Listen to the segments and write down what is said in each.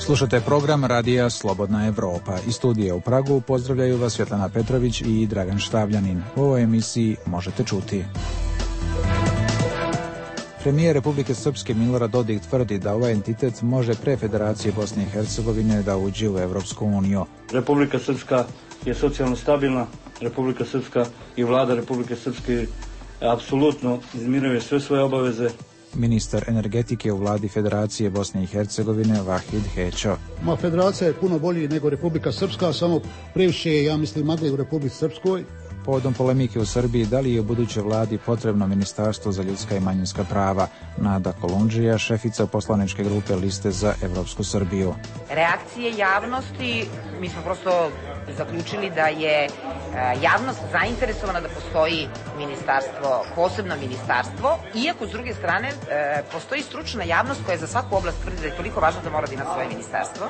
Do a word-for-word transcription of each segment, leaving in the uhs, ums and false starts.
Slušate program Radija Slobodna Evropa. Iz studija u Pragu pozdravljaju vas Svetlana Petrović i Dragan Štavljanin. U ovoj emisiji možete čuti. Premijer Republike Srpske Milorad Dodik tvrdi da ovaj entitet može pre Federacije Bosne i Hercegovine da uđe u Evropsku uniju. Republika Srpska je socijalno stabilna, Republika Srpska i vlada Republike Srpske apsolutno izmiruje sve svoje obaveze. Ministar energetike u vladi Federacije Bosne i Hercegovine Vahid Hećo. Ma, federacija je puno bolji nego Republika Srpska, samo previše je, ja mislim, magle u Republici Srpskoj. Povodom polemike u Srbiji, da li je u budućoj vladi potrebno Ministarstvo za ljudska i manjinska prava? Nada Kolundžija, šefica poslaničke grupe Liste za Evropsku Srbiju. Reakcije javnosti, mi smo prosto zaključili da je javnost zainteresovana da postoji ministarstvo, posebno ministarstvo, iako s druge strane postoji stručna javnost koja za svaku oblast tvrdi da je toliko važno da mora da ima svoje ministarstvo,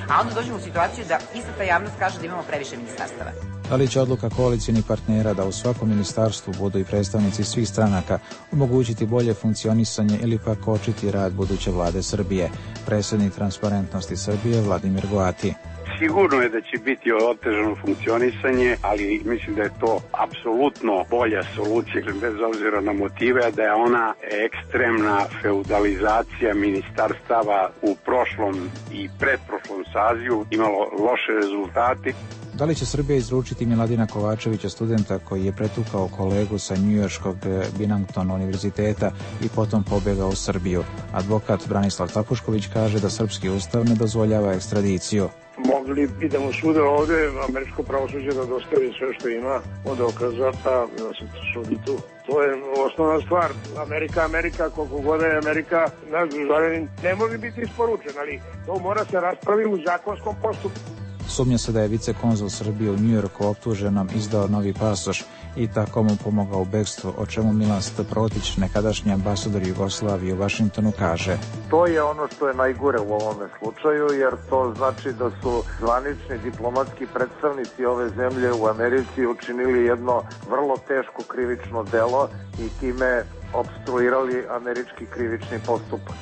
a onda dođemo u situaciju da ista ta javnost kaže da imamo previše ministarstava. Da li će odluka koalicijnih partnera da u svakom ministarstvu budu i predstavnici svih stranaka omogućiti bolje funkcionisanje ili pak kočiti rad buduće vlade Srbije? Predsjednik Transparentnosti Srbije Vladimir Goati. Sigurno je da će biti otežano funkcionisanje, ali mislim da je to apsolutno bolja solucija, bez obzira na motive, da je ona ekstremna feudalizacija ministarstava u prošlom i pretprošlom sazivu imalo loše rezultate. Da li će Srbija izručiti Miladina Kovačevića, studenta koji je pretukao kolegu sa njujorškog Binghamton univerziteta i potom pobjegao u Srbiju? Advokat Branislav Tapušković kaže da srpski ustav ne dozvoljava ekstradiciju. Mogli bi da mu sude ovde, američko pravosuđe da dostavi sve što ima od dokaza, pa da se sudi tu. To je osnovna stvar. Amerika, Amerika, koliko god je Amerika, naš državljanin ne može biti isporučen, ali to mora se raspravi u zakonskom postupku. Sumnja se da je vicekonzul Srbije u Njujorku optuženom izdao novi pasoš i tako mu pomogao u bekstvu, o čemu Milan Protić, nekadašnji ambasador Jugoslavije u Vašingtonu, kaže. To je ono što je najgore u ovome slučaju, jer to znači da su zvanični diplomatski predstavnici ove zemlje u Americi učinili jedno vrlo teško krivično delo i time opstruirali američki krivični postupak.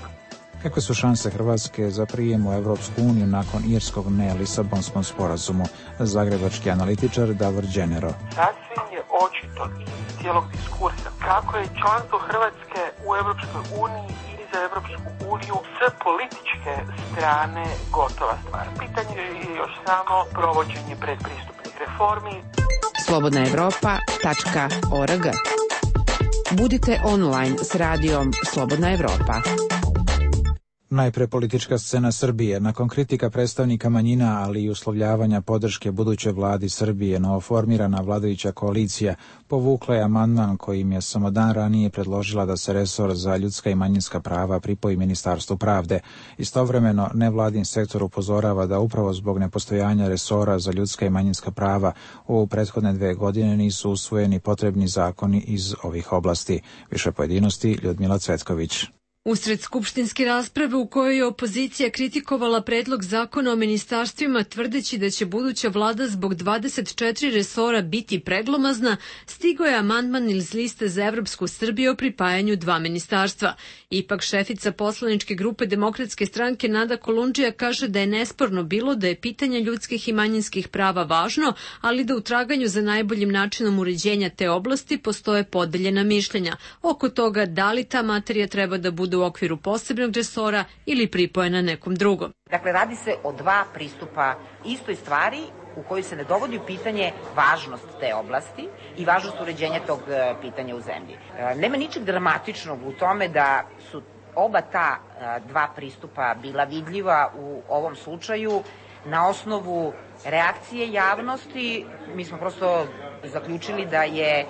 Kakve su šanse Hrvatske za prijem u Evropsku uniju nakon irskog ne Lisabonskom sporazumu? Zagrebački analitičar Davor Đenero. Sasvim je očito iz cijelog diskursa kako je članstvo Hrvatske u Evropskoj uniji i za Evropsku uniju s političke strane gotova stvar. Pitanje je još samo provođenje predpristupnih reformi. slobodna evropa tačka org. Budite online s radijom Slobodna Evropa. Najpre politička scena Srbije. Nakon kritika predstavnika manjina, ali i uslovljavanja podrške budućoj vladi Srbije, novoformirana vladajuća koalicija povukla je amandman kojim je samo dan ranije predložila da se resor za ljudska i manjinska prava pripoji Ministarstvu pravde. Istovremeno, nevladin sektor upozorava da upravo zbog nepostojanja resora za ljudska i manjinska prava u prethodne dve godine nisu usvojeni potrebni zakoni iz ovih oblasti. Više pojedinosti Ljudmila Cvetković. Usred skupštinske rasprave u kojoj je opozicija kritikovala predlog zakona o ministarstvima tvrdeći da će buduća vlada zbog dvadeset četiri resora biti preglomazna, stigao je amandman iz Liste za Evropsku Srbiju o pripajanju dva ministarstva. Ipak šefica poslaničke grupe Demokratske stranke Nada Kolundžija kaže da je nesporno bilo da je pitanje ljudskih i manjinskih prava važno, ali da u traganju za najboljim načinom uređenja te oblasti postoje podeljena mišljenja oko toga da li ta materija treba da bude u okviru posebnog resora ili pripojena nekom drugom. Dakle, radi se o dva pristupa istoj stvari u kojoj se ne dovodi u pitanje važnost te oblasti i važnost uređenja tog pitanja u zemlji. Nema ničeg dramatičnog u tome da su oba ta dva pristupa bila vidljiva u ovom slučaju. Na osnovu reakcije javnosti, mi smo prosto zaključili da je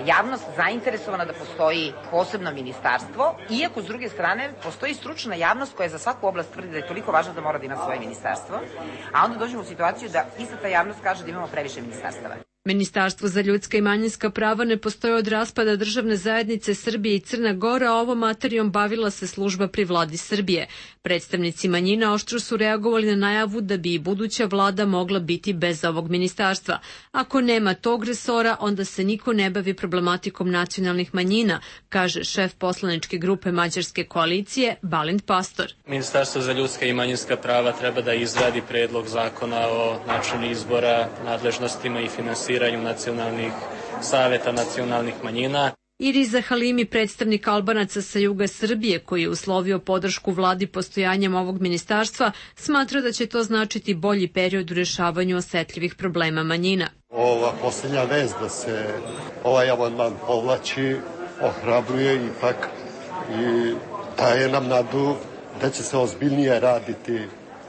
javnost zainteresovana da postoji posebno ministarstvo, iako s druge strane postoji stručna javnost koja za svaku oblast tvrdi da je toliko važno da mora da ima svoje ministarstvo, a onda dođemo u situaciju da ista ta javnost kaže da imamo previše ministarstava. Ministarstvo za ljudska i manjinska prava ne postoji od raspada državne zajednice Srbije i Crna Gora, a ovom materijom bavila se služba pri vladi Srbije. Predstavnici manjina oštro su reagovali na najavu da bi i buduća vlada mogla biti bez ovog ministarstva. Ako nema tog resora, onda se niko ne bavi problematikom nacionalnih manjina, kaže šef poslaničke grupe Mađarske koalicije Balint Pastor. Ministarstvo za ljudska i manjinska prava treba da izradi predlog zakona o načinu izbora, nadležnostima i finansiranju nacionalnih saveta nacionalnih manjina. Iriza Halimi, predstavnik Albanaca sa juga Srbije, koji je uslovio podršku vladi postojanjem ovog ministarstva, smatra da će to značiti bolji period u rešavanju osetljivih problema manjina. Ova posljednja vez da se ovaj amandman povlači ohrabruje ipak i daje nam nadu da će se ozbiljnije raditi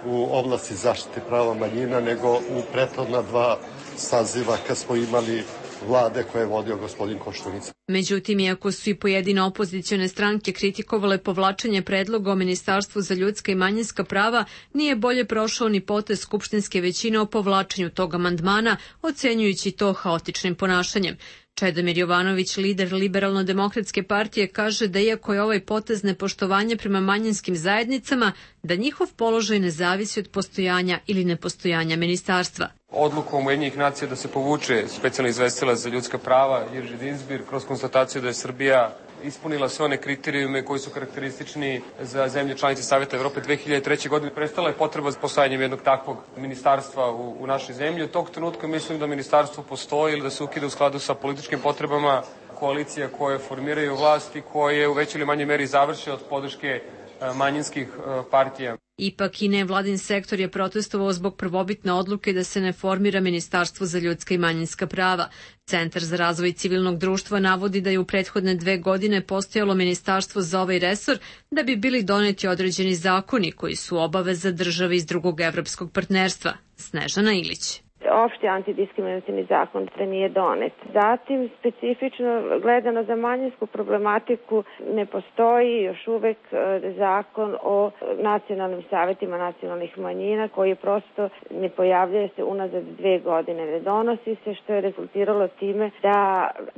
u oblasti zaštite prava manjina nego u prethodna dva saziva kad smo imali vlade koje je vodio gospodin Koštunica. Međutim, iako su i pojedine opozicione stranke kritikovale povlačenje predloga o Ministarstvu za ljudska i manjinska prava, nije bolje prošao ni potez skupštinske većine o povlačenju tog amandmana, ocenjujući to haotičnim ponašanjem. Čedomir Jovanović, lider Liberalno-demokratske partije, kaže da iako je ovaj potez nepoštovanje prema manjinskim zajednicama, da njihov položaj ne zavisi od postojanja ili nepostojanja ministarstva. Odlukom Ujedinjenih nacija da se povuče specijalni izvestilac za ljudska prava Jerzy Dinzbir kroz konstataciju da je Srbija ispunila sve one kriterijume koji su karakteristični za zemlje članice Saveta Evrope dve hiljade treće. godine. Prestala je potreba za postojanjem jednog takvog ministarstva u, u našoj zemlji. Od tog trenutka mislim da ministarstvo postoji ili da se ukida u skladu sa političkim potrebama koalicija koje formiraju vlast i koje u većoj ili manjoj meri završe od podrške manjinskih partija. Ipak i nevladin sektor je protestovao zbog prvobitne odluke da se ne formira Ministarstvo za ljudska i manjinska prava. Centar za razvoj civilnog društva navodi da je u prethodne dve godine postojalo ministarstvo za ovaj resor da bi bili doneti određeni zakoni koji su obaveza države iz drugog evropskog partnerstva. Snežana Ilić. Opšti antidiskriminacijni zakon nije donet. Zatim, specifično gledano za manjinsku problematiku, ne postoji još uvek zakon o nacionalnim savetima nacionalnih manjina koji je prosto ne pojavljuje se unazad dve godine. Ne donosi se, što je rezultiralo time da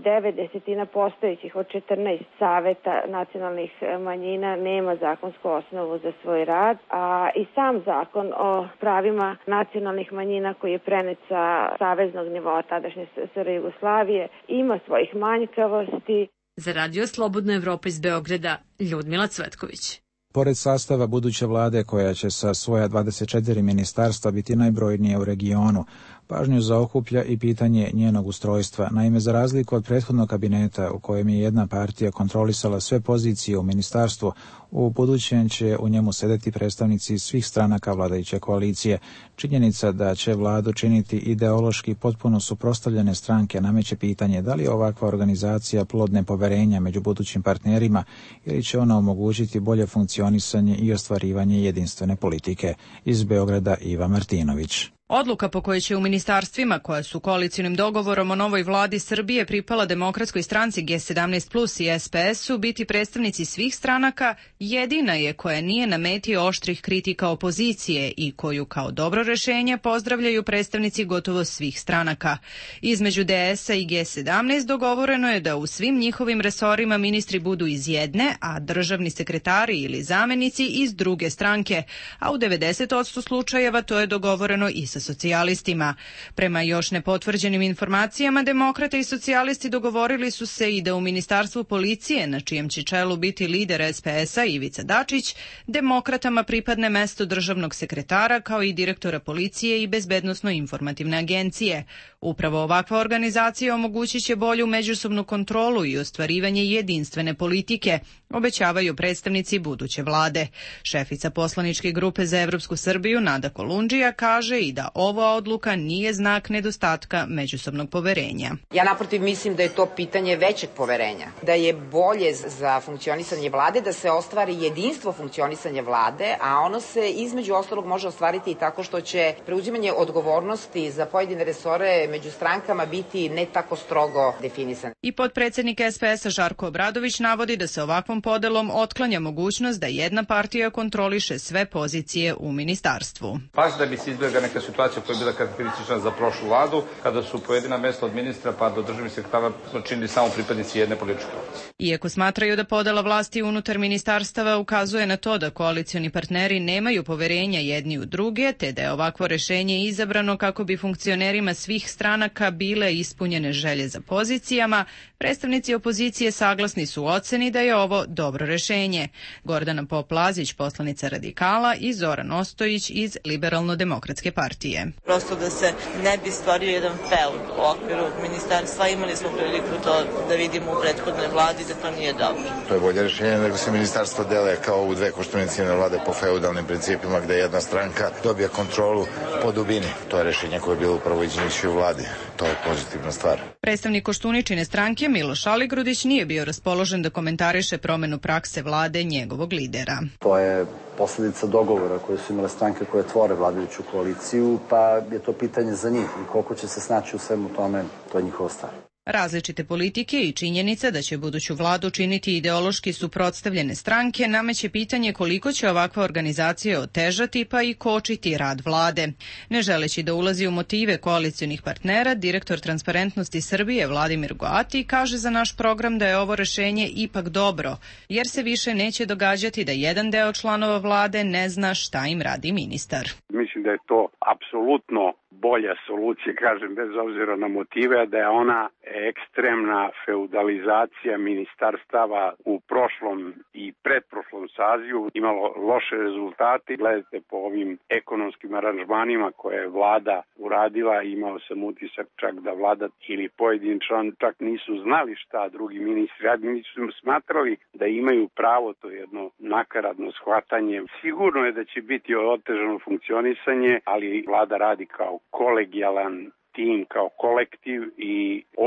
devet desetina postojećih od četrnaest saveta nacionalnih manjina nema zakonsku osnovu za svoj rad, a i sam zakon o pravima nacionalnih manjina koji je prenet sa saveznog nivoa tadašnje S R Jugoslavije ima svojih manjkavosti. Za Radio Slobodna Evropa iz Beograda, Ljudmila Cvetković. Pored sastava buduće vlade koja će sa svoja dvadeset četiri ministarstva biti najbrojnije u regionu, pažnju zaokuplja i pitanje njenog ustrojstva. Naime, za razliku od prethodnog kabineta u kojem je jedna partija kontrolisala sve pozicije u ministarstvu, u budućem će u njemu sedeti predstavnici svih stranaka vladajuće koalicije. Činjenica da će vladu činiti ideološki potpuno suprotstavljene stranke nameće pitanje da li je ovakva organizacija plod nepoverenja među budućim partnerima ili će ona omogućiti bolje funkcionisanje i ostvarivanje jedinstvene politike. Iz Beograda Iva Martinović. Odluka po kojoj će u ministarstvima koja su koalicionim dogovorom o novoj vladi Srbije pripala Demokratskoj stranci G sedamnaest plus i S P S-u biti predstavnici svih stranaka jedina je koja nije na meti oštrih kritika opozicije i koju kao dobro rešenje pozdravljaju predstavnici gotovo svih stranaka. Između D S-a i G sedamnaest dogovoreno je da u svim njihovim resorima ministri budu iz jedne, a državni sekretari ili zamenici iz druge stranke, a u devedeset posto slučajeva to je dogovoreno i sa socijalistima. Prema još nepotvrđenim informacijama, demokrate i socijalisti dogovorili su se i da u Ministarstvu policije, na čijem će čelu biti lider S P S-a Ivica Dačić, demokratama pripadne mesto državnog sekretara kao i direktora policije i bezbednosno-informativne agencije. Upravo ovakva organizacija omogućit će bolju međusobnu kontrolu i ostvarivanje jedinstvene politike, obećavaju predstavnici buduće vlade. Šefica poslaničke grupe za Evropsku Srbiju Nada Kolundžija kaže i da ova odluka nije znak nedostatka međusobnog poverenja. Ja naprotiv mislim da je to pitanje većeg poverenja, da je bolje za funkcionisanje vlade, da se ostvari jedinstvo funkcionisanja vlade, a ono se između ostalog može ostvariti i tako što će preuzimanje odgovornosti za pojedine resore među strankama biti ne tako strogo definisan. I potpredsednik S P S-a Žarko Obradović navodi da se ovakvom podelom otklanja mogućnost da jedna partija kontroliše sve pozicije u ministarstvu. Baš da bi se izbjegla neka situacija situacija koja je bila karakteristična za prošlu vladu, kada su pojedina mesta od ministra pa do državnih sekretara činili samo pripadnici jedne političke opcije. Iako smatraju da podela vlasti unutar ministarstava ukazuje na to da koalicioni partneri nemaju poverenja jedni u druge, te da je ovakvo rešenje izabrano kako bi funkcionerima svih stranaka bile ispunjene želje za pozicijama, predstavnici opozicije saglasni su u oceni da je ovo dobro rešenje. Gordana Pop-Lazić, poslanica Radikala, i Zoran Ostojić iz Liberalno-demokratske partije. Prosto da se ne bi stvorio jedan feud u okviru ministarstva, imali smo priliku to da vidimo u prethodnoj vladi da to nije dobro. To je bolje rešenje nego se ministarstva dele kao u dve koštunicijne vlade po feudalnim principima gde jedna stranka dobija kontrolu po dubini. To je rešenje koje je bilo upravo iđenići u vladi. To je pozitivna stvar. Predstavnik Koštuničine stranke Miloš Aligrudić nije bio raspoložen da komentariše promenu prakse vlade njegovog lidera. To je posledica dogovora koje su imale stranke koje tvore vladajuću koaliciju, pa je to pitanje za njih i koliko će se snaći u svemu tome, to je njihova stvar. Različite politike i činjenica da će buduću vladu činiti ideološki suprotstavljene stranke nameće pitanje koliko će ovakva organizacija otežati pa i kočiti rad vlade. Ne želeći da ulazi u motive koalicionih partnera, direktor Transparentnosti Srbije Vladimir Goati kaže za naš program da je ovo rešenje ipak dobro, jer se više neće događati da jedan deo članova vlade ne zna šta im radi ministar. Mislim da je to apsolutno bolja solucija, kažem, bez obzira na motive, da je ona ekstremna feudalizacija ministarstava u prošlom i predprošlom sazivu imalo loše rezultate. Gledajte po ovim ekonomskim aranžmanima koje je vlada uradila, imao sam utisak čak da vlada ili pojedin član čak nisu znali šta drugi ministri radi, nisu smatrali da imaju pravo, to jedno nakaradno shvatanje. Sigurno je da će biti otežano funkcionisanje, ali vlada radi kao kolegijalan tim, kao kolektiv i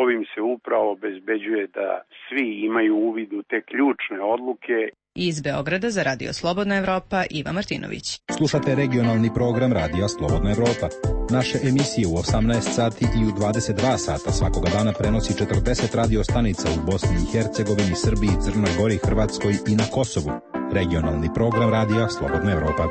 ovim se upravo obezbeđuje da svi imaju uvid u te ključne odluke. Iz Beograda za Radio Slobodna Evropa, Iva Martinović. Slušate regionalni program Radija Slobodna Evropa. Naše emisije u osamnaest sati i u dvadeset dva sata svakoga dana prenosi četrdeset radio stanica u Bosni i Hercegovini, Srbiji, Crnoj Gori, Hrvatskoj i na Kosovu. Regionalni program Radija Slobodna Evropa.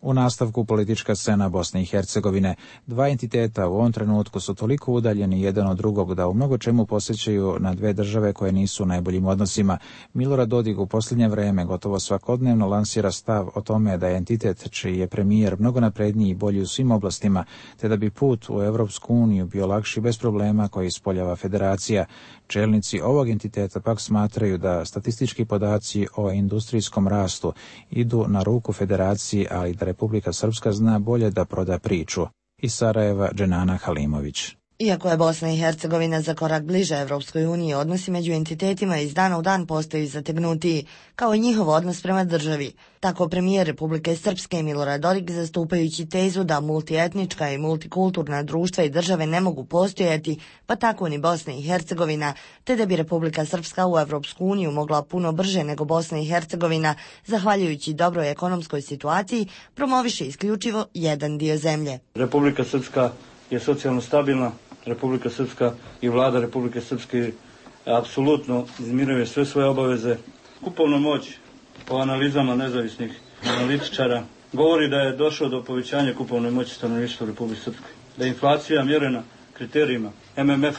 U nastavku politička scena Bosne i Hercegovine. Dva entiteta u ovom trenutku su toliko udaljeni jedan od drugog da u mnogo čemu posjećaju na dve države koje nisu u najboljim odnosima. Milorad Dodik u posljednje vreme gotovo svakodnevno lansira stav o tome da je entitet čiji je premijer mnogo napredniji i bolji u svim oblastima, te da bi put u Evropsku uniju bio lakši bez problema koji ispoljava federacija. Čelnici ovog entiteta pak smatraju da statistički podaci o industrijskom rastu idu na ruku federaciji, ali da Republika Srpska zna bolje da proda priču. Iz Sarajeva, Dženana Halimović. Iako je Bosna i Hercegovina za korak bliže Evropskoj uniji, odnosi među entitetima iz dana u dan postaju zategnutiji, kao i njihov odnos prema državi. Tako premijer Republike Srpske Milorad Dodik, zastupajući tezu da multietnička i multikulturna društva i države ne mogu postojati, pa tako ni Bosna i Hercegovina, te da bi Republika Srpska u Evropsku uniju mogla puno brže nego Bosna i Hercegovina, zahvaljujući dobroj ekonomskoj situaciji, promoviše isključivo jedan dio zemlje. Republika Srpska je socijalno stabilna, Republika Srpska i vlada Republike Srpske apsolutno izmiruje sve svoje obaveze. Kupovna moć po analizama nezavisnih analitičara govori da je došlo do povećanja kupovne moći stanovništva u Republike Srpskoj. Da je inflacija mjerena kriterijima M M F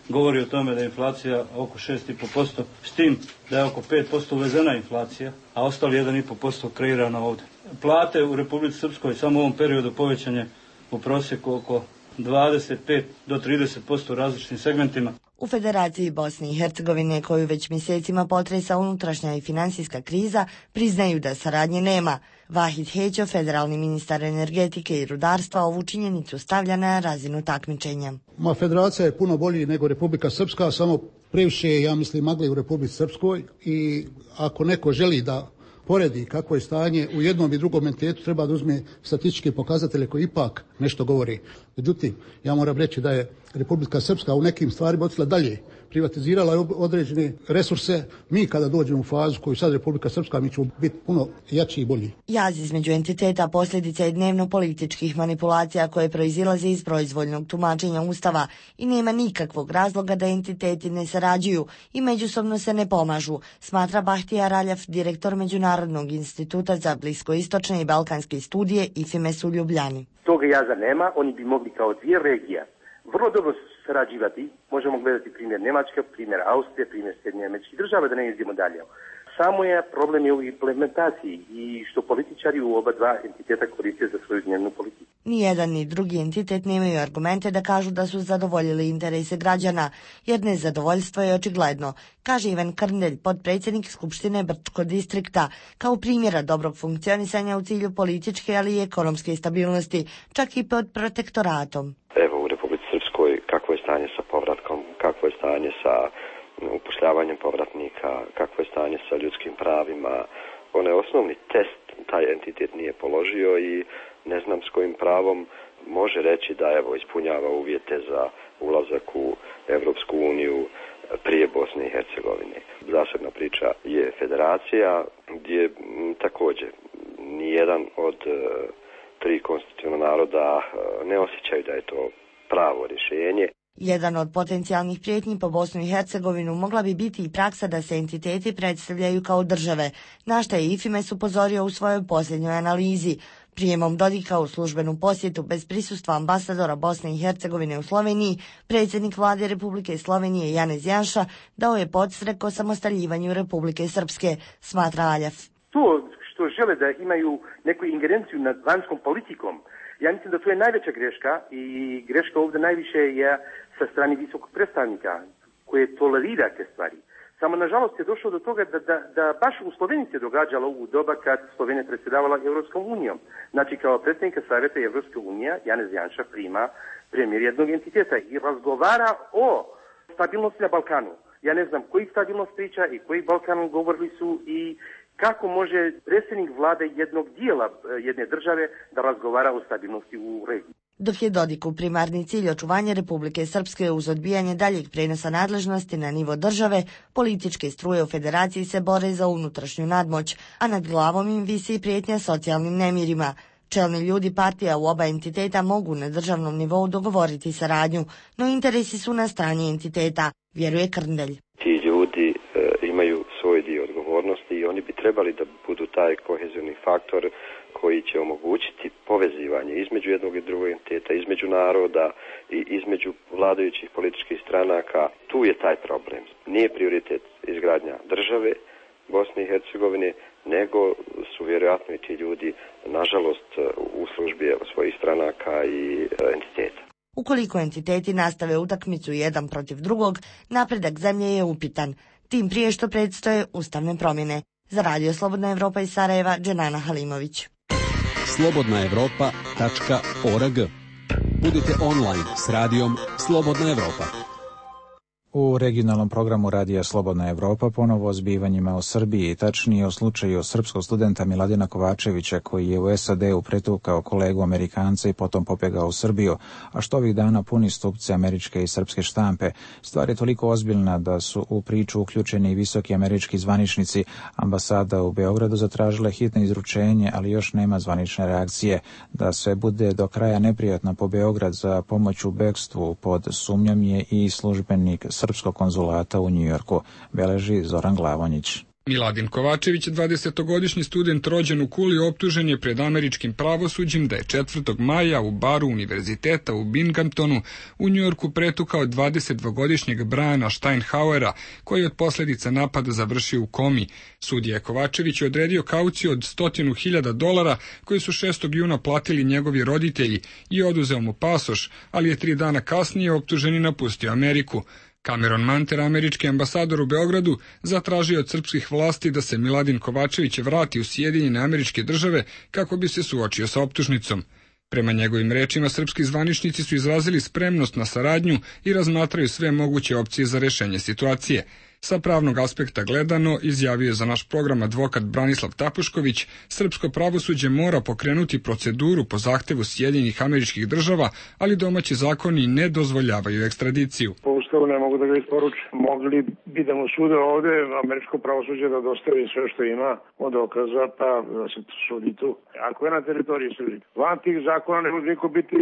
govori o tome da je inflacija oko šest i po posto, s tim da je oko pet posto uvezena inflacija, a ostali jedan i po posto kreirana ovdje. Plate u Republici Srpskoj samo u ovom periodu povećanje u prosjeku oko dvadeset pet do trideset posto u različitim segmentima. U Federaciji Bosne i Hercegovine, koju već mjesecima potresa unutrašnja i finansijska kriza, priznaju da saradnje nema. Vahid Hećo, federalni ministar energetike i rudarstva, ovu činjenicu stavlja na razinu takmičenja. Ma, federacija je puno bolji nego Republika Srpska, samo previše je, ja mislim, magle u Republici Srpskoj i ako neko želi da poredi kako je stanje u jednom i drugom entitetu, treba da uzme statističke pokazatelje koji ipak nešto govori. Međutim, ja moram reći da je Republika Srpska u nekim stvarima otišla dalje privatizirala je određene resurse. Mi kada dođemo u fazu koju sad Republika Srpska, mi ćemo biti puno jači i bolji. Jaz između entiteta posljedica je dnevno političkih manipulacija koje proizilaze iz proizvoljnog tumačenja Ustava i nema nikakvog razloga da entiteti ne sarađuju i međusobno se ne pomažu, smatra Bahtija Raljaf, direktor Međunarodnog instituta za bliskoistočne i balkanske studije I F I M E S u Ljubljani. Toga jaza nema, oni bi mogli kao dvije regije vrlo dobro sarađivati. Možemo gledati primjer Njemačka, primjer Austrije, primjer Sjedinjenih Američkih Država, da ne idemo dalje. Samo je problem je u implementaciji i što političari u oba dva entiteta koriste za svoju dnevnu politiku. Nijedan ni drugi entitet nemaju argumente da kažu da su zadovoljili interese građana, jer nezadovoljstvo je očigledno, kaže Ivan Krndelj, potpredsjednik Skupštine Brčkog distrikta, kao primjera dobrog funkcionisanja u cilju političke, ali i ekonomske stabilnosti, čak i pod protektoratom. Evo u Republici Srpskoj kakvo je stanje sa povratkom, kakvo je stanje sa upošljavanjem povratnika, kakvo je stanje sa ljudskim pravima. Onaj osnovni test taj entitet nije položio i ne znam s kojim pravom može reći da evo ispunjava uvjete za ulazak u Evropsku uniju prije Bosne i Hercegovine. Zasebna priča je federacija gdje m, također nijedan od e, tri konstitutivna naroda e, ne osjećaju da je to pravo rješenje. Jedan od potencijalnih prijetnji po Bosnu i Hercegovinu mogla bi biti i praksa da se entiteti predstavljaju kao države, na što je I F I M E S upozorio u svojoj posljednjoj analizi. Prijemom Dodika u službenu posjetu bez prisustva ambasadora Bosne i Hercegovine u Sloveniji, predsjednik vlade Republike Slovenije Janez Janša dao je podstrek o samostaljivanju Republike Srpske, smatra Aljaf. To što žele da imaju neku ingerenciju nad vanjskom politikom, ja mislim da to je najveća greška i greška ovdje najviše je sa strane visokog predstavnika koje tolerira te stvari. Samo nažalost je došlo do toga da, da, da baš u Sloveniji se događalo u doba kad Slovenija predsjedavala Evropskom unijom. Znači kao predsjednika Savjeta Evropske unije Janez Janša prima premijer jednog entiteta i razgovara o stabilnosti na Balkanu. Ja ne znam koji stabilnost priča i koji Balkan govorili su i kako može predsjednik vlade jednog dijela jedne države da razgovara o stabilnosti u regiji. Dok je Dodiku primarni cilj očuvanje Republike Srpske uz odbijanje daljeg prenosa nadležnosti na nivo države, političke struje u federaciji se bore za unutrašnju nadmoć, a nad glavom im visi prijetnja socijalnim nemirima. Čelni ljudi partija u oba entiteta mogu na državnom nivou dogovoriti saradnju, no interesi su na strani entiteta, vjeruje Krndelj. Ti ljudi e, imaju svoj dio odgovornosti i oni bi trebali da budu taj kohezioni faktor koji će omogućiti povezivanje između jednog i drugog entiteta, između naroda i između vladajućih političkih stranaka. Tu je taj problem. Nije prioritet izgradnja države Bosne i Hercegovine, nego su vjerojatno i ti ljudi, nažalost, u službi svojih stranaka i entiteta. Ukoliko entiteti nastave utakmicu jedan protiv drugog, napredak zemlje je upitan, tim prije što predstoje ustavne promjene. Za Radio Slobodna Evropa iz Sarajeva, Dženana Halimović. slobodna evropa tačka org. Budite online s radijom Slobodna Evropa. U regionalnom programu Radija Slobodna Evropa ponovo o zbivanjima u Srbiji, tačnije o slučaju srpskog studenta Miladina Kovačevića koji je u S A D-u pretukao kolegu Amerikanca i potom pobjegao u Srbiju, a što ovih dana puni stupce američke i srpske štampe. Stvar je toliko ozbiljna da su u priču uključeni i visoki američki zvaničnici. Ambasada u Beogradu zatražila hitno izručenje, ali još nema zvanične reakcije. Da sve bude do kraja neprijatno po Beograd za pomoć u bekstvu pod sumnjom je i službenik srpskog konzulata u Njujorku, beleži Zoran Glavonjić. Miladin Kovačević, dvadesetogodišnji student rođen u Kuli, optužen je pred američkim pravosuđem da je četvrtog maja u baru univerziteta u Binghamtonu u Njujorku pretukao dvadesetdvogodišnjeg Briana Steinhauera, koji je od posljedica napada završio u komi. Sudija Kovačević je odredio kauciju od stotinu hiljada dolara koji su šestog juna platili njegovi roditelji i oduzeo mu pasoš, ali je tri dana kasnije optuženi napustio Ameriku. Cameron Manter, američki ambasador u Beogradu, zatražio od srpskih vlasti da se Miladin Kovačević vrati u Sjedinjene Američke Države kako bi se suočio sa optužnicom. Prema njegovim rečima, srpski zvaničnici su izrazili spremnost na saradnju i razmatraju sve moguće opcije za rješenje situacije. Sa pravnog aspekta gledano, izjavio je za naš program advokat Branislav Tapušković, srpsko pravosuđe mora pokrenuti proceduru po zahtevu Sjedinjenih Američkih Država, ali domaći zakoni ne dozvoljavaju ekstradiciju. Ovo Ustavu ne mogu da ga isporuče. Mogli bi da mu sude ovde, američko pravosuđe da dostavi sve što ima od dokaza, pa da se sudi tu. Ako je na teritoriji Srbije. Van tih zakona ne može niko biti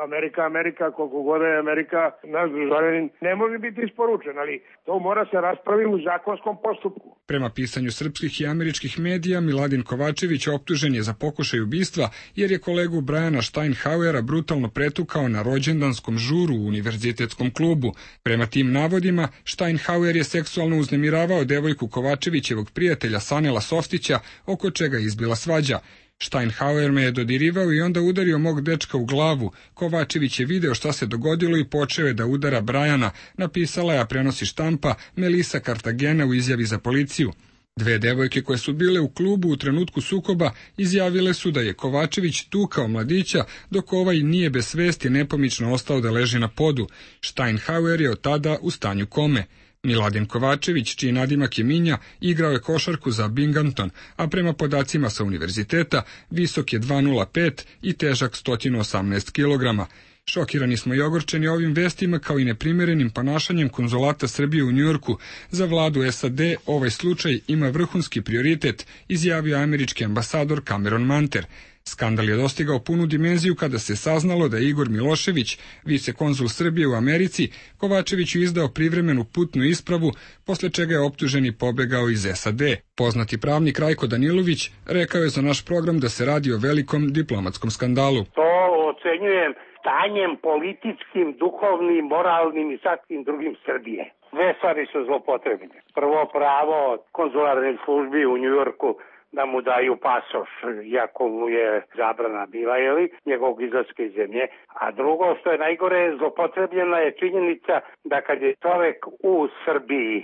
Amerika, Amerika, koliko god je Amerika, naš državljanin, ne može biti isporučen, ali to mora se raspraviti u zakonskom postupku. Prema pisanju srpskih i američkih medija, Miladin Kovačević optužen je za pokušaj ubistva jer je kolegu Briana Steinhauera brutalno pretukao na rođendanskom žuru u univerzitetskom klubu. Prema tim navodima, Steinhauer je seksualno uznemiravao devojku Kovačevićevog prijatelja Sanela Softića, oko čega je izbila svađa. Steinhauer me je dodirivao i onda udario mog dečka u glavu. Kovačević je video šta se dogodilo i počeo je da udara Brajana, napisala je, a prenosi štampa, Melisa Cartagena u izjavi za policiju. Dve devojke koje su bile u klubu u trenutku sukoba izjavile su da je Kovačević tukao mladića, dok ovaj nije bez svesti nepomično ostao da leži na podu. Steinhauer je od tada u stanju kome. Miladin Kovačević, čiji nadimak je Minja, igrao je košarku za Binghamton, a prema podacima sa univerziteta visok je dva nula pet i težak sto osamnaest kilograma. Šokirani smo i ogorčeni ovim vestima kao i neprimerenim ponašanjem konzulata Srbije u Njujorku. Za vladu S A D ovaj slučaj ima vrhunski prioritet, izjavio američki ambasador Cameron Manter. Skandal je dostigao punu dimenziju kada se saznalo da je Igor Milošević, vicekonzul Srbije u Americi, Kovačeviću izdao privremenu putnu ispravu, posle čega je optužen i pobegao iz S A D. Poznati pravnik Rajko Danilović rekao je za naš program da se radi o velikom diplomatskom skandalu. To ocenjujem stanjem političkim, duhovnim, moralnim i svakim drugim Srbije. Dve stvari su zlopotrebne. Prvo, pravo konzularnih službi u Njujorku da mu daju pasoš, iako mu je zabrana bila, jeli, njegovog izlaska iz zemlje. A drugo, što je najgore, zlopotrebljena je činjenica da kad je čovek u Srbiji,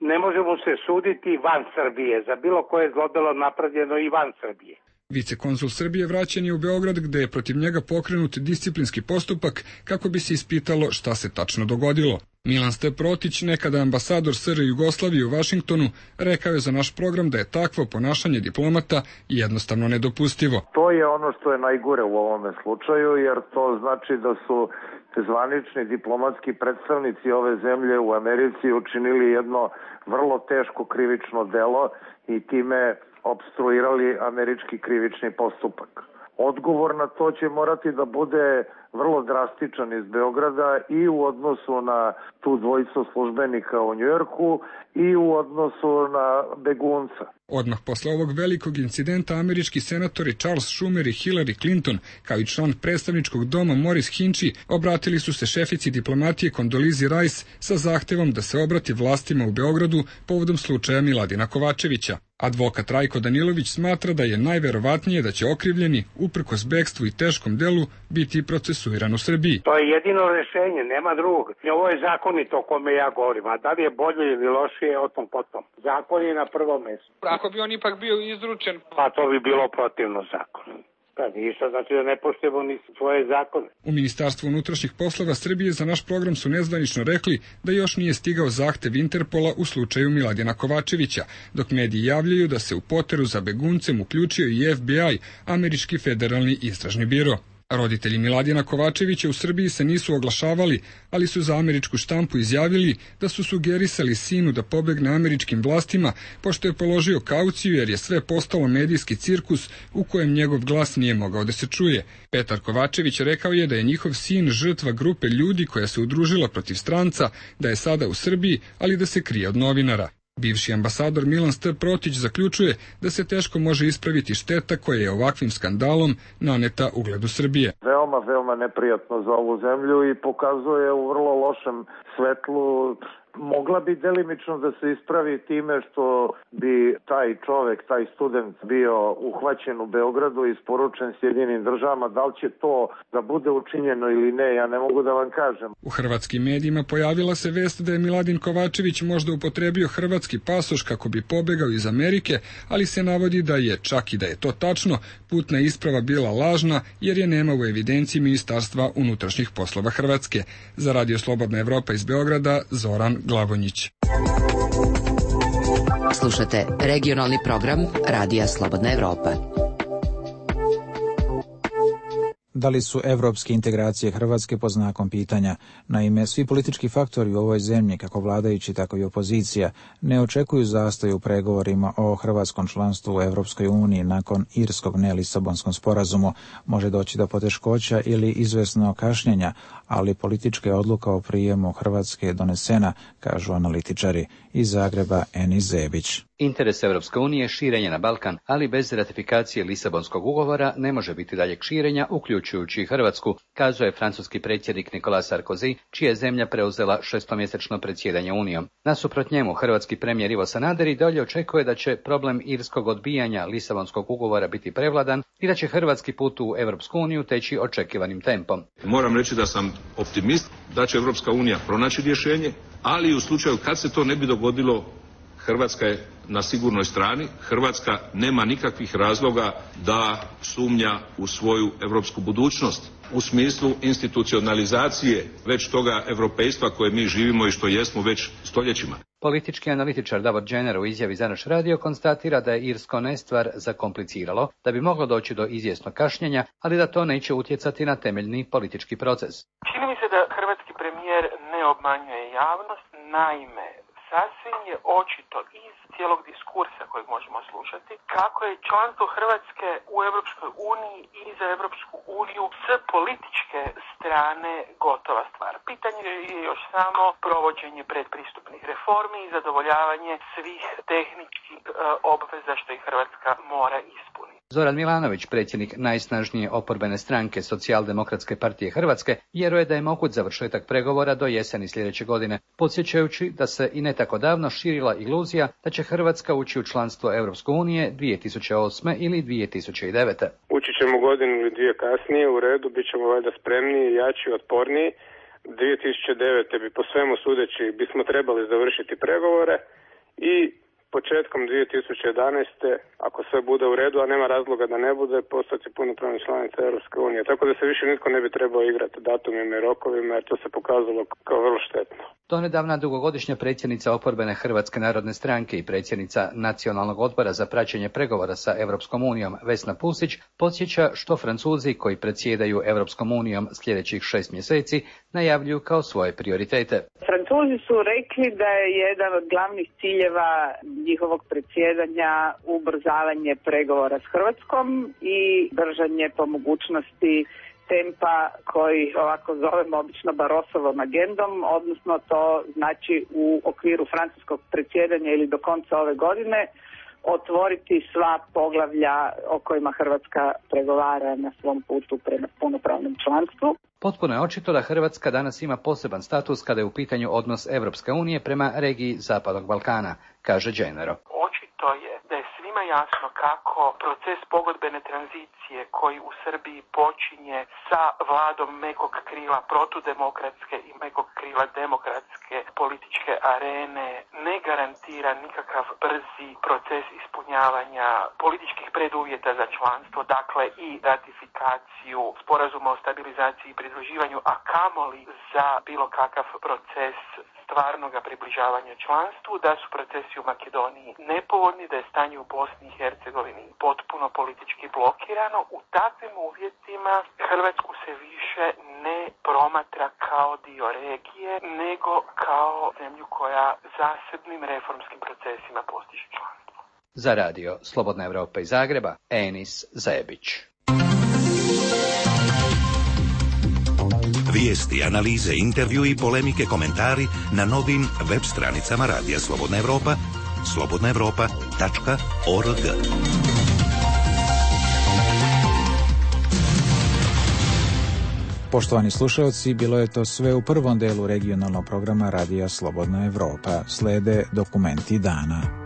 ne može mu se suditi van Srbije, za bilo koje zlodelo napravljeno i van Srbije. Vicekonzul Srbije vraćen je u Beograd, gde je protiv njega pokrenut disciplinski postupak kako bi se ispitalo šta se tačno dogodilo. Milan Steprotić, nekada ambasador S R Jugoslavije u Vašingtonu, rekao je za naš program da je takvo ponašanje diplomata jednostavno nedopustivo. To je ono što je najgore u ovome slučaju, jer to znači da su zvanični diplomatski predstavnici ove zemlje u Americi učinili jedno vrlo teško krivično delo i time opstruirali američki krivični postupak. Odgovor na to će morati da bude vrlo drastičan iz Beograda i u odnosu na tu dvojicu službenika u Njujorku i u odnosu na begunca. Odmah posle ovog velikog incidenta američki senatori Charles Schumer i Hillary Clinton, kao i član predstavničkog doma Morris Hinchey, obratili su se šefici diplomatije Kondolizi Rice sa zahtevom da se obrati vlastima u Beogradu povodom slučaja Miladina Kovačevića. Advokat Rajko Danilović smatra da je najverovatnije da će okrivljeni, uprkos bekstvu i teškom delu, biti procesuiran u Srbiji. To je jedino rešenje, nema drugog. Ovo je zakonito o kome ja govorim, a da li je bolje ili lošije, o tom potom. Zakon je na prvom mjestu. Ako bi on ipak bio izručen... Pa to bi bilo protivno zakonu. Pa ništa, znači da ne poštujemo ni svoje zakone. U Ministarstvu unutrašnjih poslova Srbije za naš program su nezvanično rekli da još nije stigao zahtev Interpola u slučaju Miladina Kovačevića, dok mediji javljaju da se u poteru za beguncem uključio i F B I, američki federalni istražni biro. Roditelji Miladina Kovačevića u Srbiji se nisu oglašavali, ali su za američku štampu izjavili da su sugerisali sinu da pobegne američkim vlastima, pošto je položio kauciju jer je sve postalo medijski cirkus u kojem njegov glas nije mogao da se čuje. Petar Kovačević rekao je da je njihov sin žrtva grupe ljudi koja se udružila protiv stranca, da je sada u Srbiji, ali da se krije od novinara. Bivši ambasador Milan Steprotić zaključuje da se teško može ispraviti šteta koja je ovakvim skandalom naneta ugledu Srbije. Veoma, veoma neprijatno za ovu zemlju i pokazuje u vrlo lošem svetlu. Mogla bi delimično da se ispravi time što bi taj čovek, taj student bio uhvaćen u Beogradu i isporučen Sjedinim državama. Da li će to da bude učinjeno ili ne, ja ne mogu da vam kažem. U hrvatskim medijima pojavila se vest da je Miladin Kovačević možda upotrebio hrvatski pasoš kako bi pobegao iz Amerike, ali se navodi da je, čak i da je to tačno, putna isprava bila lažna jer je nema u evidenciji Ministarstva unutrašnjih poslova Hrvatske. Za Radio Slobodna Evropa iz Beograda, Zoran Glavonjić. Slušate regionalni program Radija Slobodna Evropa. Da li su evropske integracije Hrvatske pod znakom pitanja? Naime, svi politički faktori u ovoj zemlji, kako vladajući, tako i opozicija, ne očekuju zastoj u pregovorima o hrvatskom članstvu u Evropskoj uniji nakon irskog ne-Lisabonskom sporazumu. Može doći do poteškoća ili izvesno kašnjenja, ali politička je odluka o prijemu Hrvatske donesena, kažu analitičari. Iz Zagreba Enis Zebić. Interes Evropske unije je širenje na Balkan, ali bez ratifikacije Lisabonskog ugovora ne može biti daljeg širenja, uključujući i Hrvatsku, kazuje francuski predsjednik Nicolas Sarkozy, čija je zemlja preuzela šestomjesečno predsjedanje Unijom. Nasuprot njemu, hrvatski premijer Ivo Sanader i dalje očekuje da će problem irskog odbijanja Lisabonskog ugovora biti prevladan i da će hrvatski put u Evropsku uniju teći očekivanim tempom. Moram reći da sam optimist da će Evropska unija pronaći rješenje, ali i u slučaju kad se to ne bi dogodilo, Hrvatska je na sigurnoj strani. Hrvatska nema nikakvih razloga da sumnja u svoju europsku budućnost u smislu institucionalizacije već toga europejstva koje mi živimo i što jesmo već stoljećima. Politički analitičar Davor Džener u izjavi za naš radio konstatira da je irsko nestvar zakompliciralo, da bi moglo doći do izvjesnog kašnjenja, ali da to neće utjecati na temeljni politički proces. Čini mi se da hrvatski premijer ne obmanjuje javnost, naime, sasvim je očito iz cijelog diskursa kojeg možemo slušati kako je članstvo Hrvatske u Europskoj uniji i za Europsku uniju s političke strane gotova stvar. Pitanje je još samo provođenje predpristupnih reformi i zadovoljavanje svih tehničkih e, obveza što i Hrvatska mora ispuniti. Zoran Milanović, predsjednik najsnažnije oporbene stranke Socijaldemokratske partije Hrvatske, vjeruje da je moguć završetak pregovora do jeseni sljedeće godine, podsjećajući da se i ne tako davno širila iluzija da će Hrvatska ući u članstvo Europske unije dvije tisuće osme ili dvije tisuće devete. Ući ćemo godinu ili dvije kasnije, u redu, bit ćemo valjda spremniji, jači, otporniji. dvije tisuće devete bi po svemu sudeći bismo trebali završiti pregovore i početkom dvije tisuće jedanaeste, ako sve bude u redu, a nema razloga da ne bude, postati punopravna članica Europske unije. Tako da se više nitko ne bi trebao igrati datumima i rokovima, jer to se pokazalo kao vrlo štetno. Donedavna dugogodišnja predsjednica oporbene Hrvatske narodne stranke i predsjednica Nacionalnog odbora za praćenje pregovora sa Europskom unijom Vesna Pusić podsjeća što Francuzi koji predsjedaju Europskom unijom sljedećih šest mjeseci najavljuju kao svoje prioritete. Francuzi su rekli da je jedan od glavnih ciljeva njihovog predsjedanja ubrzavanje pregovora s Hrvatskom i držanje po mogućnosti tempa koji ovako zovemo obično Barosovom agendom, odnosno to znači u okviru francuskog predsjedanja ili do konca ove godine otvoriti sva poglavlja o kojima Hrvatska pregovara na svom putu prema punopravnom članstvu. Potpuno je očito da Hrvatska danas ima poseban status kada je u pitanju odnos Evropske unije prema regiji Zapadnog Balkana, kaže Dženero. Očito je da je svima jasno kako proces pogodbene tranzicije koji u Srbiji počinje sa vladom mekog krila protudemokratske i mekog krila demokratske političke arene ne garantira nikakav brzi proces ispunjavanja političkih preduvjeta za članstvo, dakle i ratifikaciju sporazuma o stabilizaciji i pridruživanju, a kamoli za bilo kakav proces stvarnoga približavanja članstvu, da su procesi u Makedoniji nepovoljni, da je stanje u Bosni i Hercegovini potpuno politički blokirano. U takvim uvjetima Hrvatsku se više ne promatra kao dio regije, nego kao zemlju koja zasebnim reformskim procesima postiže članstvo. Za radio Slobodna Evropa iz Zagreba, Enis Zebić. Vijesti, analize, intervju i polemike, komentari na novim web stranicama Radija Slobodna Evropa, slobodna evropa tačka org. Poštovani slušalci, bilo je to sve u prvom delu regionalnog programa Radija Slobodna Evropa. Slede dokumenti dana.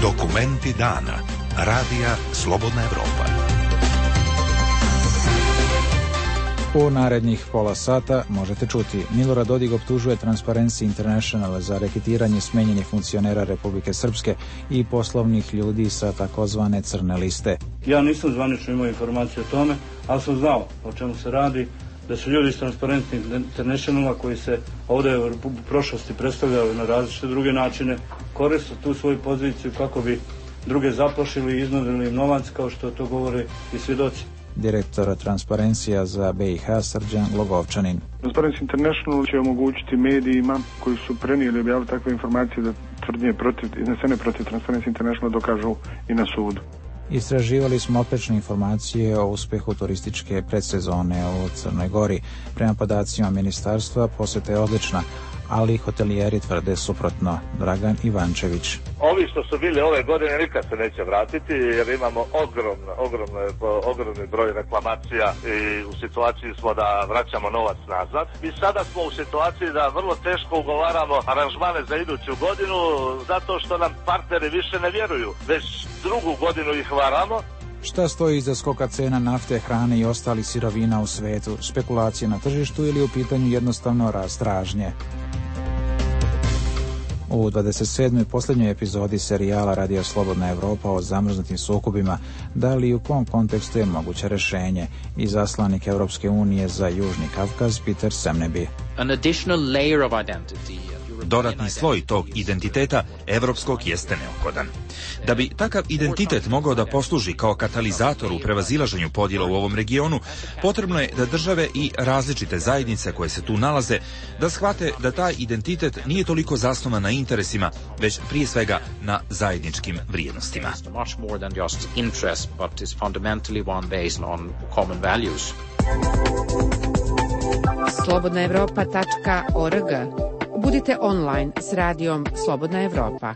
Dokumenti dana. Radija Slobodna Evropa. U narednih pola sata možete čuti: Milorad Dodik optužuje Transparency International za reketiranje smenjenih funkcionera Republike Srpske i poslovnih ljudi sa takozvane crne liste. Ja nisam zvanično imao informacije o tome, ali sam znao o čemu se radi, da su ljudi iz Transparency Internationala koji se ovdje u prošlosti predstavljali na različite druge načine, koriste tu svoju poziciju kako bi druge zaplašili i iznudili im novac, kao što to govore i svjedoci. Direktor Transparencija za B i H Srđan Logovčanin. Transparency International će omogućiti medijima koji su prenijeli i objavili takve informacije da tvrdnje protiv, iznesene protiv Transparency International dokažu i na sudu. Istraživali smo oprečne informacije o uspehu turističke predsezone u Crnoj Gori. Prema podacima ministarstva posjeta je odlična, ali hotelijeri tvrde suprotno. Dragan Ivančević. Ovi što su bili ove godine nikad se neće vratiti jer imamo ogromno, ogromno, ogromni broj reklamacija i u situaciji smo da vraćamo novac nazad. Mi sada smo u situaciji da vrlo teško ugovaramo aranžmane za iduću godinu zato što nam partneri više ne vjeruju. Već drugu godinu ih varamo. Šta stoji iza skoka cena nafte, hrane i ostalih sirovina u svetu? Spekulacije na tržištu ili u pitanju jednostavno rast tražnje? U dvadeset sedmoj posljednjoj epizodi serijala Radio Slobodna Evropa o zamrznutim sukobima, da li i u kom kontekstu je moguće rješenje, i zaslanik Europske unije za Južni Kavkaz Peter Semneby. An additional layer of identity. Dodatni sloj tog identiteta evropskog jeste neophodan. Da bi takav identitet mogao da posluži kao katalizator u prevazilaženju podjela u ovom regionu, potrebno je da države i različite zajednice koje se tu nalaze da shvate da taj identitet nije toliko zasnovan na interesima, već prije svega na zajedničkim vrijednostima. slobodna evropa tačka org. Budite online s radijom Slobodna Evropa.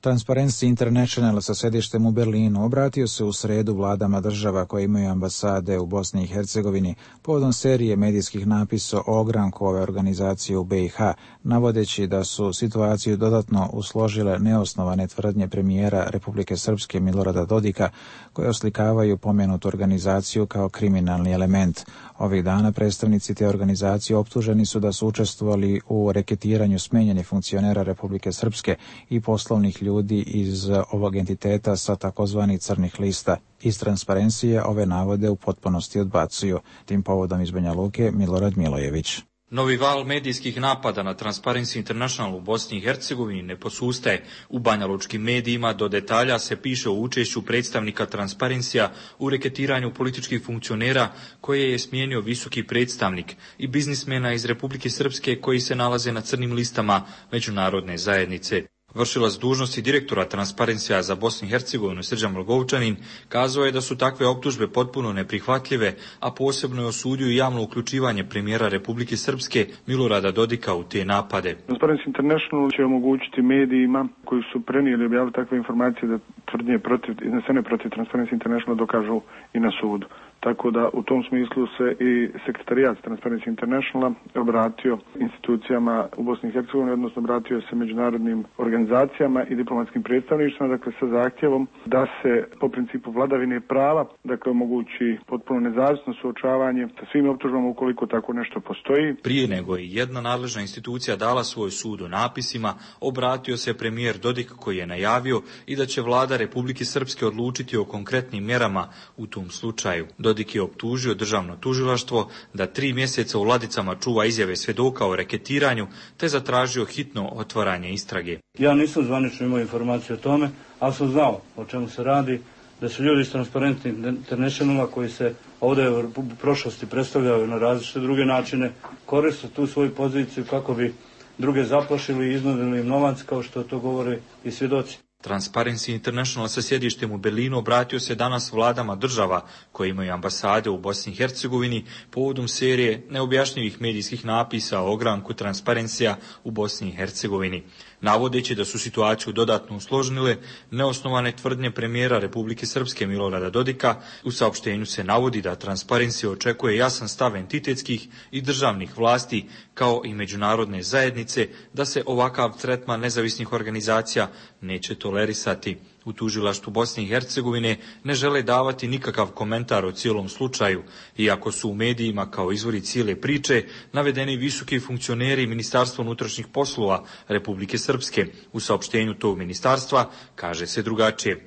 Transparency International sa sedištem u Berlinu obratio se u sredu vladama država koje imaju ambasade u Bosni i Hercegovini povodom serije medijskih napisa o ogranku ove organizacije u B i H, navodeći da su situaciju dodatno usložile neosnovane tvrdnje premijera Republike Srpske Milorada Dodika, koje oslikavaju pomenutu organizaciju kao kriminalni element. Ovih dana predstavnici te organizacije optuženi su da su učestvovali u reketiranju smenjenih funkcionera Republike Srpske i poslovnih ljudi iz ovog entiteta sa takozvanih crnih lista. Iz Transparencije ove navode u potpunosti odbacuju. Tim povodom iz Banja Luke Milorad Milojević. Novi val medijskih napada na Transparency International u Bosni i Hercegovini ne posustaje. U banjalučkim medijima do detalja se piše o učešću predstavnika Transparencija u reketiranju političkih funkcionera koje je smijenio visoki predstavnik i biznismena iz Republike Srpske koji se nalaze na crnim listama međunarodne zajednice. Vršilac dužnosti direktora Transparencija za Bosnu i Hercegovinu Srđan Logovčanin kazao je da su takve optužbe potpuno neprihvatljive, a posebno je osudio i javno uključivanje premijera Republike Srpske Milorada Dodika u te napade. Transparency International će omogućiti medijima koji su prenijeli i objavili takve informacije da tvrdnje protiv, iznesene protiv Transparency International dokažu i na sudu. Tako da u tom smislu se i sekretarijat Transparency Internationala obratio institucijama u Bosni i Hercegovini, odnosno obratio se međunarodnim organizacijama i diplomatskim predstavništvima, dakle sa zahtjevom da se po principu vladavine prava, dakle omogući potpuno nezavisno suočavanje sa svim optužbama ukoliko tako nešto postoji. Prije nego je jedna nadležna institucija dala svoj sud o napisima, obratio se premijer Dodik koji je najavio i da će vlada Republike Srpske odlučiti o konkretnim mjerama u tom slučaju. Dodik je optužio državno tužilaštvo da tri mjeseca u ladicama čuva izjave svjedoka o reketiranju te zatražio hitno otvaranje istrage. Ja nisam zvanično imao informacije o tome, ali sam znao o čemu se radi, da su ljudi iz Transparency Internationala koji se ovdje u prošlosti predstavljaju na različite druge načine, koriste tu svoju poziciju kako bi druge zaplašili i iznudili im novac, kao što to govore i svjedoci. Transparency International sa sjedištem u Berlinu obratio se danas vladama država koje imaju ambasade u Bosni i Hercegovini povodom serije neobjašnjivih medijskih napisa o ogranku Transparencija u Bosni i Hercegovini, navodeći da su situaciju dodatno usložnile neosnovane tvrdnje premijera Republike Srpske Milorada Dodika. U saopštenju se navodi da Transparency očekuje jasan stav entitetskih i državnih vlasti kao i međunarodne zajednice da se ovakav tretman nezavisnih organizacija neće tolerisati. U tužilaštvu Bosne i Hercegovine ne žele davati nikakav komentar o cijelom slučaju, iako su u medijima kao izvori cijele priče navedeni visoki funkcioneri Ministarstva unutrašnjih poslova Republike Srpske. U saopštenju tog ministarstva kaže se drugačije.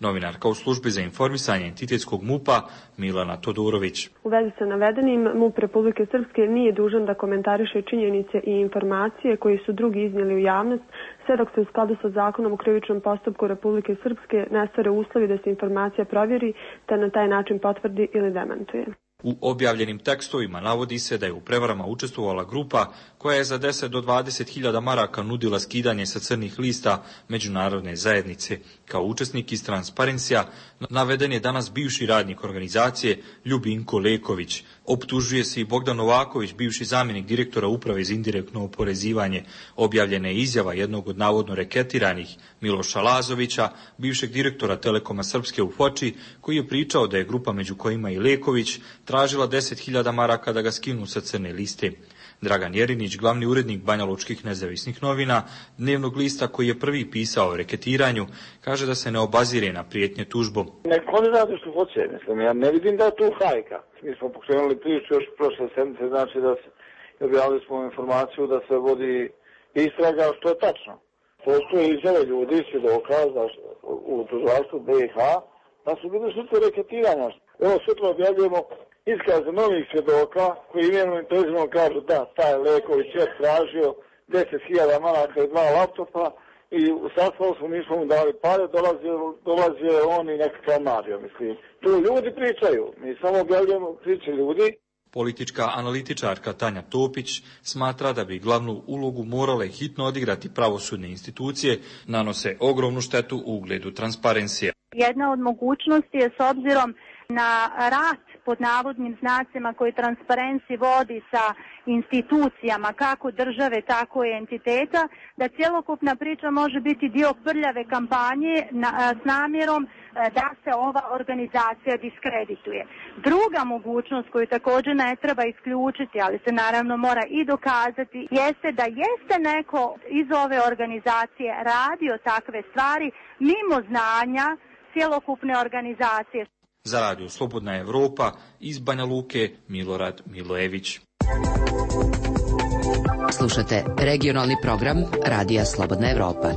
Novinarka u službi za informisanje entitetskog MUP-a Milana Todorović. U vezi sa navedenim, MUP Republike Srpske nije dužan da komentariše činjenice i informacije koje su drugi iznijeli u javnost, sve dok se u skladu sa zakonom o krivičnom postupku Republike Srpske ne stvore uslovi da se informacija provjeri, te na taj način potvrdi ili demantuje. U objavljenim tekstovima navodi se da je u prevarama učestvovala grupa koja je za deset do dvadeset hiljada maraka nudila skidanje sa crnih lista međunarodne zajednice. Kao učesnik iz Transparencija naveden je danas bivši radnik organizacije Ljubinko Leković. Optužuje se i Bogdan Novaković, bivši zamjenik direktora uprave za indirektno oporezivanje. Objavljena je izjava jednog od navodno reketiranih Miloša Lazovića, bivšeg direktora Telekoma Srpske u Foči, koji je pričao da je grupa među kojima i Leković tražila deset hiljada maraka da ga skinu sa crne liste. Dragan Jerinić, glavni urednik banjalučkih nezavisnih novina, dnevnog lista koji je prvi pisao o reketiranju, kaže da se ne obazire na prijetnje tužbom. Nek oni rade što hoće, mislim, ja ne vidim da je tu hajka. Mi smo pokrenuli priču još prošle sedmice, znači da se objavili smo informaciju da se vodi istraga, što je tačno. Postoje izjave ljudi, svjedoka u tužilaštvu B i H, da su bili žrtve reketiranja. Evo sutra objavljujemo iskaze novih svjedoka koji imenom i prezimenom kažu da taj Leković je tražio deset hiljada maraka i dva laptopa i u sastavu smo nismo mu dali pare, dolazio, dolazio je on i nekakav Mario, mislim. Tu ljudi pričaju, mi samo objavljujemo priče ljudi. Politička analitičarka Tanja Topić smatra da bi glavnu ulogu morale hitno odigrati pravosudne institucije, nanose ogromnu štetu u ugledu Transparencija. Jedna od mogućnosti je s obzirom na rat pod navodnim znacima koji Transparency vodi sa institucijama kako države, tako i entiteta, da cjelokupna priča može biti dio prljave kampanje na, s namjerom da se ova organizacija diskredituje. Druga mogućnost koju također ne treba isključiti, ali se naravno mora i dokazati, jeste da jeste neko iz ove organizacije radio takve stvari mimo znanja cjelokupne organizacije. Za radio Slobodna Evropa iz Banja Luke Milorad Milojević. Slušate regionalni program Radija Slobodna Evropa.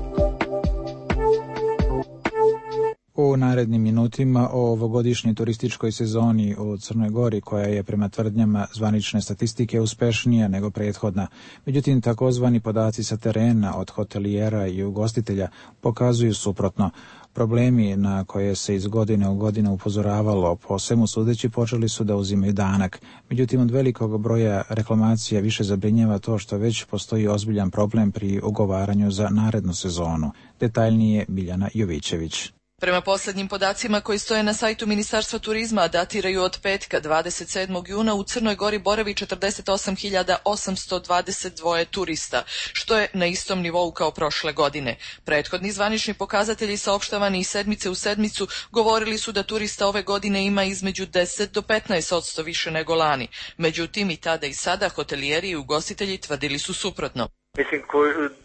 U narednim minutima o ovogodišnjoj turističkoj sezoni u Crnoj Gori, koja je prema tvrdnjama zvanične statistike uspešnija nego prethodna. Međutim, takozvani podaci sa terena od hotelijera i ugostitelja pokazuju suprotno. Problemi na koje se iz godine u godinu upozoravalo, po svemu sudeći, počeli su da uzimaju danak. Međutim, od velikog broja reklamacija više zabrinjava to što već postoji ozbiljan problem pri ugovaranju za narednu sezonu. Detaljnije Biljana Jovićević. Prema posljednjim podacima koji stoje na sajtu Ministarstva turizma, a datiraju od petka dvadeset sedmog juna, u Crnoj Gori boravi četrdeset osam hiljada osamsto dvadeset dva turista, što je na istom nivou kao prošle godine. Prethodni zvanični pokazatelji saopštavani iz sedmice u sedmicu govorili su da turista ove godine ima između deset do petnaest posto više nego lani. Međutim, i tada i sada hotelijeri i ugostitelji tvrdili su suprotno. Mislim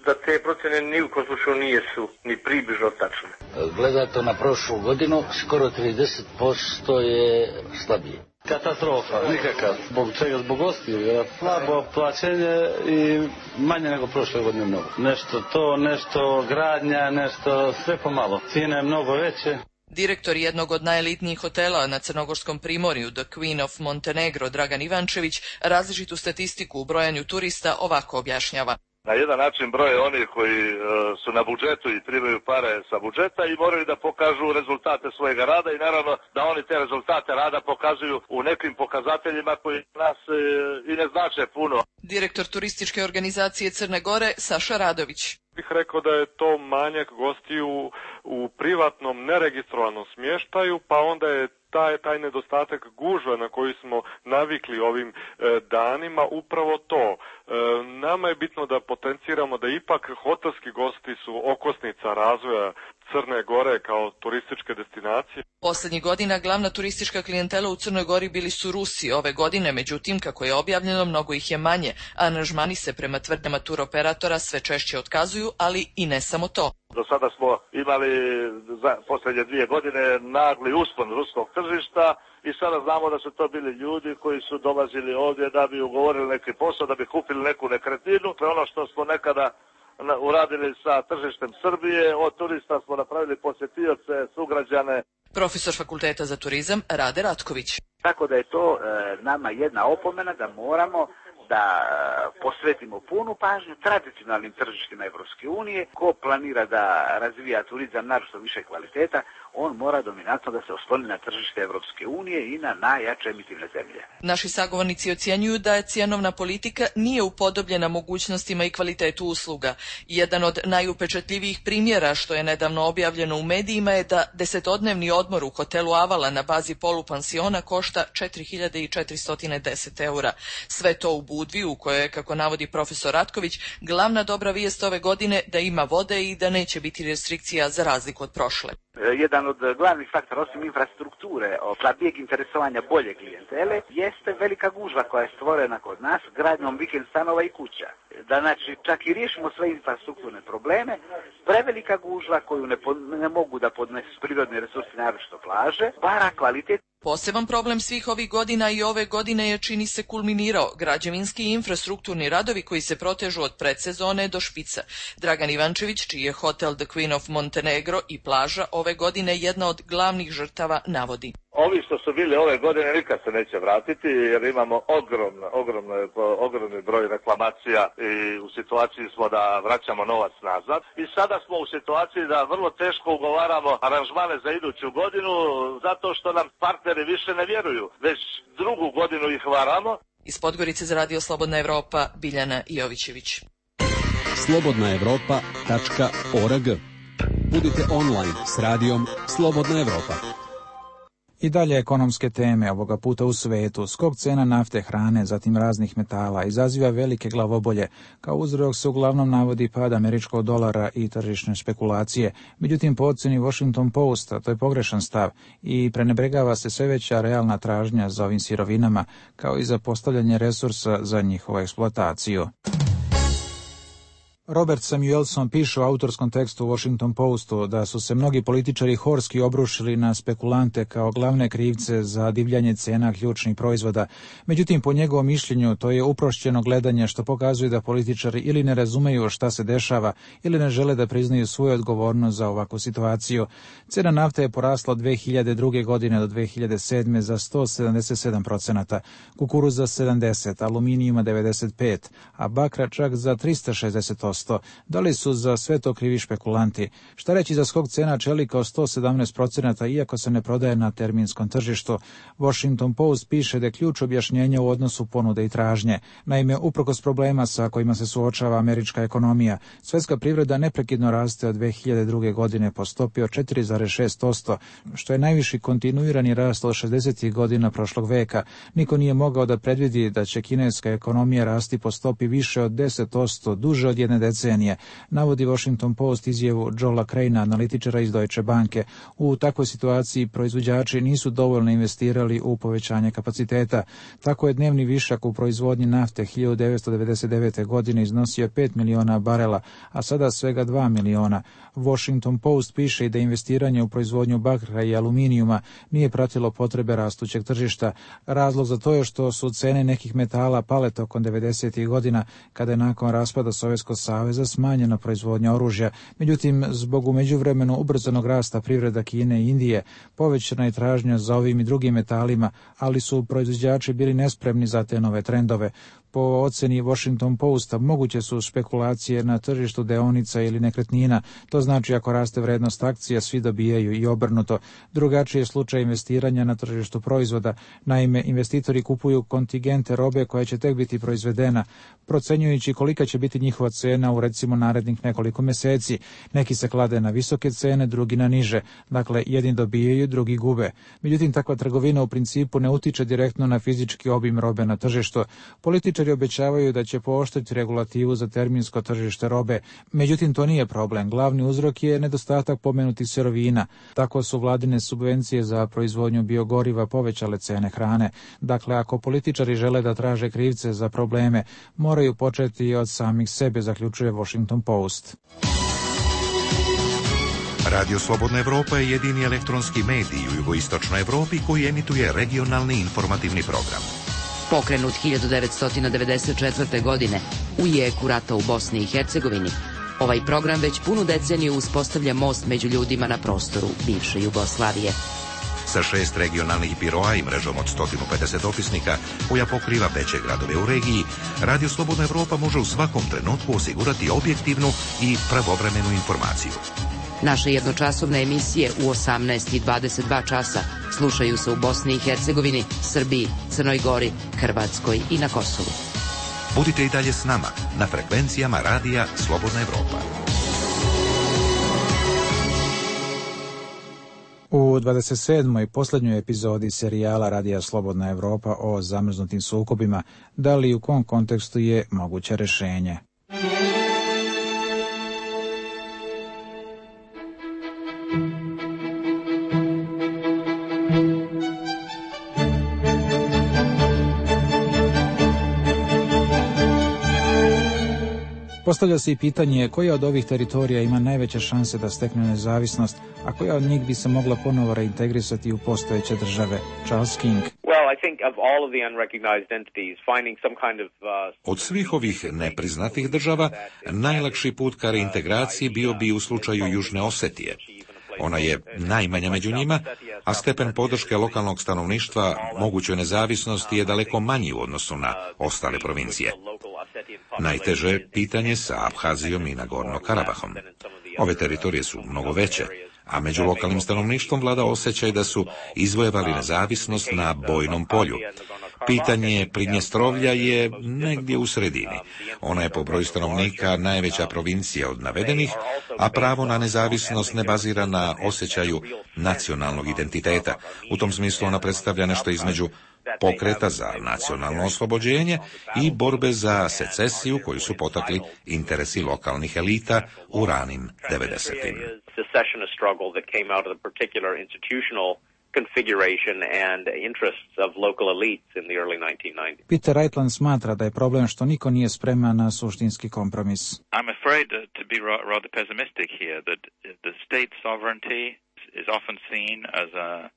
da te procjene ni u kom slučaju nisu ni približno tačne. Gledate na prošlu godinu, skoro trideset posto je slabije. Katastrofa, nikakav. Zbog čega? Zbog gostiju. Slabo plaćenje i manje nego prošle godine mnogo. Nešto to, nešto gradnja, nešto sve pomalo. Cijena je mnogo veće. Direktor jednog od najelitnijih hotela na Crnogorskom primorju, The Queen of Montenegro, Dragan Ivančević, različitu statistiku u brojanju turista ovako objašnjava. Na jedan način broje oni koji uh, su na budžetu i primaju pare sa budžeta i moraju da pokažu rezultate svojega rada i naravno da oni te rezultate rada pokazuju u nekim pokazateljima koji nas uh, i ne znače puno. Direktor turističke organizacije Crne Gore, Saša Radović. bih rekao da je to manjak gostiju u privatnom neregistrovanom smještaju, pa onda je taj, taj nedostatak gužva na koji smo navikli ovim e, danima upravo to. E, nama je bitno da potenciramo da ipak hotelski gosti su okosnica razvoja Crne Gore kao turističke destinacije. Poslednjih godina glavna turistička klijentela u Crnoj Gori bili su Rusi. Ove godine, međutim, kako je objavljeno, mnogo ih je manje. Aranžmani se prema tvrdnjama turoperatora sve češće otkazuju, ali i ne samo to. Do sada smo imali za posljednje dvije godine nagli uspon ruskog tržišta i sada znamo da su to bili ljudi koji su dolazili ovdje da bi ugovorili neki posao, da bi kupili neku nekretninu. To je ono što smo nekada uradili sa tržištem Srbije, od turista smo napravili posjetioce, sugrađane. Profesor Fakulteta za turizam Rade Ratković. Tako da je to e, nama jedna opomena da moramo da posvetimo punu pažnju tradicionalnim tržištima Evropske unije. Ko planira da razvija turizam naročito više kvaliteta, on mora dominantno da se osloni na tržište Evropske unije i na najjače emitivne zemlje. Naši sagovornici ocjenjuju da je cjenovna politika nije upodobljena mogućnostima i kvalitetu usluga. Jedan od najupečatljivijih primjera što je nedavno objavljeno u medijima je da desetodnevni odmor u hotelu Avala na bazi polupansiona košta četiri hiljade četiristo deset eura. Sve to u Budvi, u kojoj je, kako navodi profesor Ratković, glavna dobra vijest ove godine da ima vode i da neće biti restrikcija za razliku od prošle. Jedan od glavnih faktora, osim infrastrukture, slabijeg interesovanja bolje klijentele, jeste velika gužva koja je stvorena kod nas gradnjom vikend stanova i kuća. Da znači čak i riješimo sve infrastrukturne probleme, prevelika gužva koju ne, po, ne mogu da podnesu prirodni resursi, naročito plaže, para kvalitet. Poseban problem svih ovih godina i ove godine je, čini se, kulminirao građevinski i infrastrukturni radovi koji se protežu od predsezone do špica. Dragan Ivančević, čiji je hotel The Queen of Montenegro i plaža ove godine jedna od glavnih žrtava, navodi. Ovi što su bili ove godine nikad se neće vratiti jer imamo ogromno, ogromno, ogromni broj reklamacija i u situaciji smo da vraćamo novac nazad. I sada smo u situaciji da vrlo teško ugovaramo aranžmane za iduću godinu zato što nam partneri više ne vjeruju. Već drugu godinu ih varamo. Iz Podgorice za Radio Slobodna Evropa, Biljana Jovićević. slobodna evropa tačka org. Budite online s radijom Slobodna Evropa. I dalje ekonomske teme, ovoga puta u svetu. Skok cena nafte, hrane, zatim raznih metala izaziva velike glavobolje. Kao uzrok se uglavnom navodi pad američkog dolara i tržišne špekulacije. Međutim, po ocjeni Washington Posta to je pogrešan stav i prenebregava se sve veća realna tražnja za ovim sirovinama, kao i za postavljanje resursa za njihovu eksploataciju. Robert Samuelson piše u autorskom tekstu u Washington Postu da su se mnogi političari horski obrušili na spekulante kao glavne krivce za divljanje cena ključnih proizvoda. Međutim, po njegovom mišljenju, to je uprošćeno gledanje što pokazuje da političari ili ne razumeju šta se dešava ili ne žele da priznaju svoju odgovornost za ovakvu situaciju. Cena nafte je porasla od dve hiljade druge. godine do dve hiljade sedme. za sto sedamdeset sedam procenata, kukuruza sedamdeset, aluminijuma devedeset pet, a bakra čak za tristo šezdeset osam. Da li su za sve to krivi špekulanti? Šta reći za skok cena čelika od sto sedamnaest procenata iako se ne prodaje na terminskom tržištu? Washington Post piše da je ključ objašnjenja u odnosu ponude i tražnje. Naime, uprkos problema sa kojima se suočava američka ekonomija, svjetska privreda neprekidno raste od dve hiljade druge. godine po stopi od četiri zarez šest posto, što je najviši kontinuirani rast od šezdesetih godina prošlog veka. Niko nije mogao da predvidi da će kineska ekonomija rasti po stopi više od deset posto duže od jedne decenije, navodi Washington Post izjavu Joela Craina, analitičara iz Deutsche Banke. U takvoj situaciji proizvođači nisu dovoljno investirali u povećanje kapaciteta. Tako je dnevni višak u proizvodnji nafte hiljadu devetsto devedeset devete. godine iznosio pet miliona barela, a sada svega dva miliona. Washington Post piše i da investiranje u proizvodnju bakra i aluminijuma nije pratilo potrebe rastućeg tržišta. Razlog za to je što su cene nekih metala pale tokom devedesetih. godina, kada je nakon raspada Sovjetskog saveza smanjena proizvodnja oružja. Međutim, zbog u međuvremenu ubrzanog rasta privreda Kine i Indije, povećana je tražnja za ovim i drugim metalima, ali su proizvođači bili nespremni za te nove trendove. Po oceni Washington Posta moguće su spekulacije na tržištu deonica ili nekretnina. To znači ako raste vrednost akcija, svi dobijaju i obrnuto. Drugačiji je slučaj investiranja na tržištu proizvoda. Naime, investitori kupuju kontingente robe koja će tek biti proizvedena, procenjujući kolika će biti njihova cena u recimo narednih nekoliko mjeseci. Neki se klade na visoke cene, drugi na niže. Dakle, jedni dobijaju, drugi gube. Međutim, takva trgovina u principu ne utiče direktno na fizički obim robe na tržištu. Političari obećavaju da će pooštriti regulativu za terminsko tržište robe. Međutim, to nije problem. Glavni uzrok je nedostatak pomenutih sirovina. Tako su vladine subvencije za proizvodnju biogoriva povećale cene hrane. Dakle, ako političari žele da traže krivce za probleme, moraju početi od samih sebe, zaključuje Washington Post. Radio Slobodna Evropa je jedini elektronski medij u jugoistočnoj Evropi koji emituje regionalni informativni program. Pokrenut hiljadu devetsto devedeset četvrte. godine u jeku rata u Bosni i Hercegovini, ovaj program već punu deceniju uspostavlja most među ljudima na prostoru bivše Jugoslavije. Sa šest regionalnih biroa i mrežom od sto pedeset dopisnika koja pokriva veće gradove u regiji, Radio Slobodna Evropa može u svakom trenutku osigurati objektivnu i pravovremenu informaciju. Naše jednočasovne emisije u osamnaest i dvadeset dva časa slušaju se u Bosni i Hercegovini, Srbiji, Crnoj Gori, Hrvatskoj i na Kosovu. Budite i dalje s nama na frekvencijama Radija Slobodna Evropa. U dvadeset sedmoj posljednjoj epizodi serijala Radija Slobodna Evropa o zamrznutim sukobima, da li i u kom kontekstu je moguće rješenje? Postavlja se i pitanje koja od ovih teritorija ima najveće šanse da stekne nezavisnost, a koja od njih bi se mogla ponovo reintegrisati u postojeće države. Charles King. Od svih ovih nepriznatih država, najlakši put ka reintegraciji bio bi u slučaju Južne Osetije. Ona je najmanja među njima, a stepen podrške lokalnog stanovništva mogućoj nezavisnosti je daleko manji u odnosu na ostale provincije. Najteže je pitanje sa Abhazijom i Nagorno-Karabahom. Ove teritorije su mnogo veće, a među lokalnim stanovništvom vlada osjećaj da su izvojevali nezavisnost na bojnom polju. Pitanje Pridnjestrovlja je negdje u sredini. Ona je po broju stanovnika najveća provincija od navedenih, a pravo na nezavisnost ne bazira na osjećaju nacionalnog identiteta. U tom smislu ona predstavlja nešto između pokreta za nacionalno oslobođenje i borbe za secesiju koju su potakli interesi lokalnih elita u ranim devedesetim. Peter Reitland smatra da je problem što niko nije spreman na suštinski kompromis. I'm afraid to be rather pessimistic here that the state sovereignty is often seen as a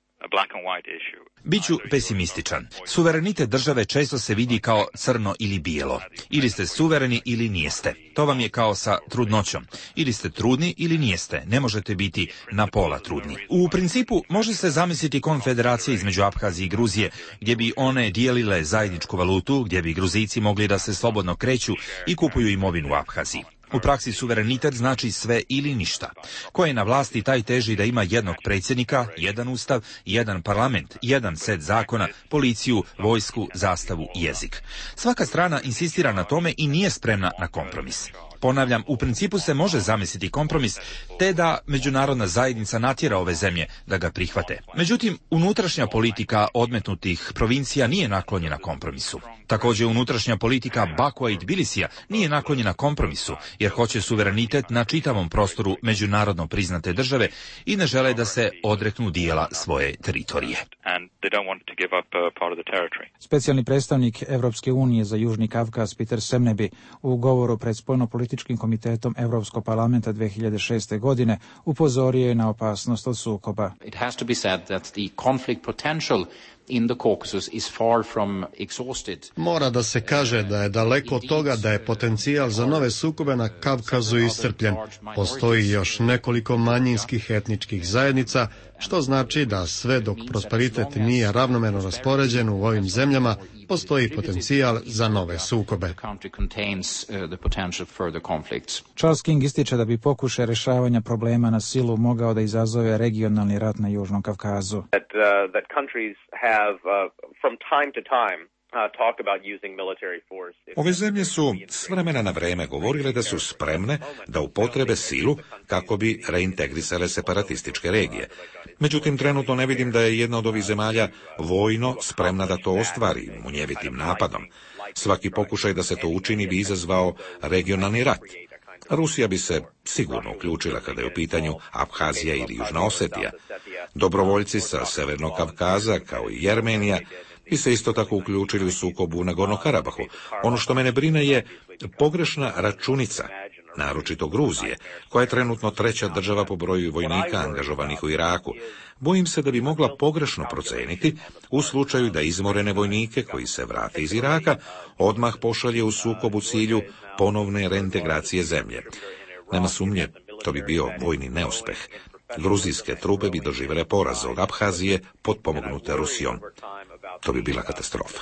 Biću pesimističan. Suverenitet države često se vidi kao crno ili bijelo. Ili ste suvereni ili nijeste. To vam je kao sa trudnoćom. Ili ste trudni ili nijeste. Ne možete biti na pola trudni. U principu može se zamisliti konfederacija između Abhazije i Gruzije, gdje bi one dijelile zajedničku valutu, gdje bi Gruzijci mogli da se slobodno kreću i kupuju imovinu u Abhaziji. U praksi suverenitet znači sve ili ništa. Ko je na vlasti, taj teži da ima jednog predsjednika, jedan ustav, jedan parlament, jedan set zakona, policiju, vojsku, zastavu i jezik. Svaka strana insistira na tome i nije spremna na kompromis. Ponavljam, u principu se može zamisliti kompromis, te da međunarodna zajednica natjera ove zemlje da ga prihvate. Međutim, unutrašnja politika odmetnutih provincija nije naklonjena kompromisu. Također, unutrašnja politika Bakua i Tbilisija nije naklonjena kompromisu, jer hoće suverenitet na čitavom prostoru međunarodno priznate države i ne žele da se odreknu dijela svoje teritorije. Specijalni predstavnik Evropske unije za Južni Kavkaz Peter Semnebi u govoru pred Spoljnopolitičkim komitetom Evropskog parlamenta dve hiljade šeste. godine upozorio je na opasnost od sukoba. It has to be said that the conflict potential in the Caucasus is far from exhausted. Mora da se kaže da je daleko od toga da je potencijal za nove sukobe na Kavkazu iscrpljen. Postoji još nekoliko manjinskih etničkih zajednica, što znači da sve dok prosperitet nije ravnomerno raspoređen u ovim zemljama, postoji potencijal za nove sukobe. Charles King ističe da bi pokušaj rješavanja problema na silu mogao da izazove regionalni rat na Južnom Kavkazu. That, uh, that countries have, uh, from time to time, Ove zemlje su s vremena na vreme govorile da su spremne da upotrebe silu kako bi reintegrisale separatističke regije. Međutim, trenutno ne vidim da je jedna od ovih zemalja vojno spremna da to ostvari munjevitim napadom. Svaki pokušaj da se to učini bi izazvao regionalni rat. Rusija bi se sigurno uključila kada je u pitanju Abhazija ili Južna Osetija. Dobrovoljci sa Severnog Kavkaza, kao i Jermenija, bi se isto tako uključili u sukobu u Nagorno-Karabahu. Ono što mene brine je pogrešna računica, naročito Gruzije, koja je trenutno treća država po broju vojnika angažovanih u Iraku. Bojim se da bi mogla pogrešno proceniti u slučaju da izmorene vojnike koji se vrate iz Iraka odmah pošalje u sukob u cilju ponovne reintegracije zemlje. Nema sumnje, to bi bio vojni neuspeh. Gruzijske trupe bi doživjele poraz od Abhazije potpomognute Rusijom. To bi bila katastrofa.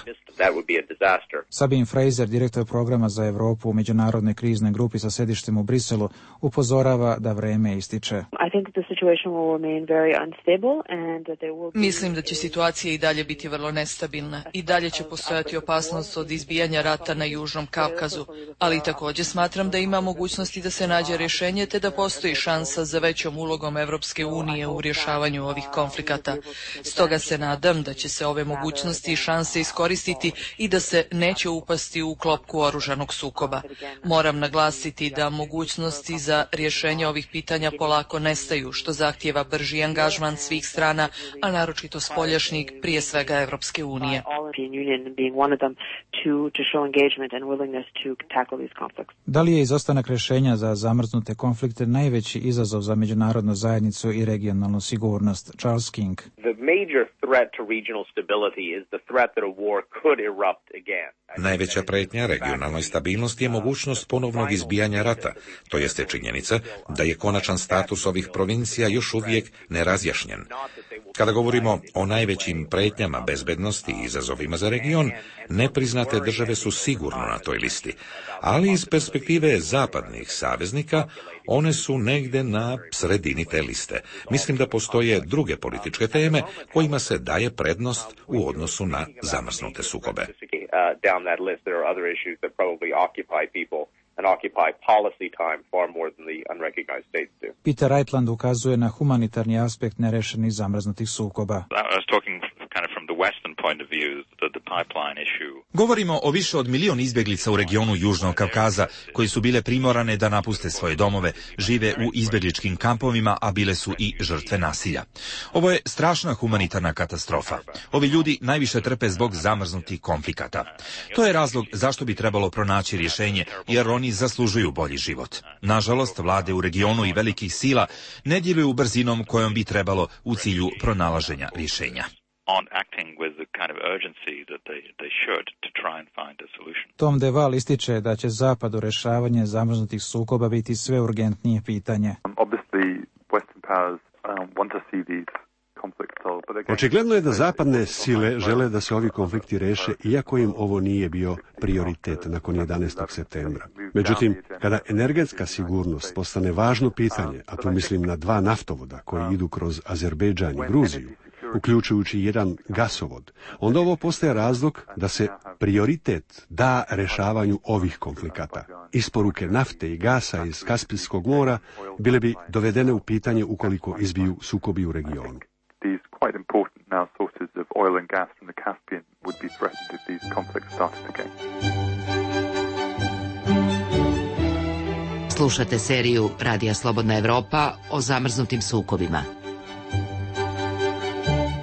Sabine Fraser, direktor programa za Europu u međunarodnoj kriznoj grupi sa sedištem u Briselu, upozorava da vreme ističe. Mislim da će situacija i dalje biti vrlo nestabilna. I dalje će postojati opasnost od izbijanja rata na Južnom Kavkazu, ali također smatram da ima mogućnosti da se nađe rješenje te da postoji šansa za većom ulogom Evropske unije u rješavanju ovih konflikata. Stoga se nadam da će se ove mogućnosti i šanse iskoristiti i da se neće upasti u klopku oružanog sukoba. Moram naglasiti da mogućnosti za rješenje ovih pitanja polako nestaju, što zahtijeva brži angažman svih strana, a naročito spoljašnjeg, prije svega Evropske unije. Da li je izostanak rješenja za zamrznute konflikte najveći izazov za međunarodnu zajednicu i regionalnu sigurnost? Charles King. Najveća pretnja regionalnoj stabilnosti je mogućnost ponovnog izbijanja rata, to jeste činjenica da je konačan status ovih provincija još uvijek nerazjašnjen. Kada govorimo o najvećim pretnjama bezbednosti i izazovima za region, nepriznate države su sigurno na toj listi, ali iz perspektive zapadnih saveznika one su negde na sredini te liste. Mislim da postoje druge političke teme kojima se daje prednost u odnosu na zamrznute sukobe. Peter Reitland ukazuje na humanitarni aspekt nerešenih zamrznutih sukoba. Govorimo o više od milion izbjeglica u regionu Južnog Kavkaza, koji su bile primorane da napuste svoje domove, žive u izbjegličkim kampovima, a bile su i žrtve nasilja. Ovo je strašna humanitarna katastrofa. Ovi ljudi najviše trpe zbog zamrznutih konflikata. To je razlog zašto bi trebalo pronaći rješenje, jer oni zaslužuju bolji život. Nažalost, vlade u regionu i velikih sila ne djeluju brzinom kojom bi trebalo u cilju pronalaženja rješenja. Tom DeVal ističe da će Zapad u rješavanje zamrznutih sukoba biti sve urgentnije pitanje. Očigledno je da zapadne sile žele da se ovi konflikti reše, iako im ovo nije bio prioritet nakon jedanaestog septembra. Međutim, kada energetska sigurnost postane važno pitanje, a tu mislim na dva naftovoda koji idu kroz Azerbejdžan i Gruziju, uključujući jedan gasovod, onda ovo postaje razlog da se prioritet da rešavanju ovih konflikata. Isporuke nafte i gasa iz Kaspijskog mora bile bi dovedene u pitanje ukoliko izbiju sukobi u regionu. Slušate seriju Radija Slobodna Evropa o zamrznutim sukobima.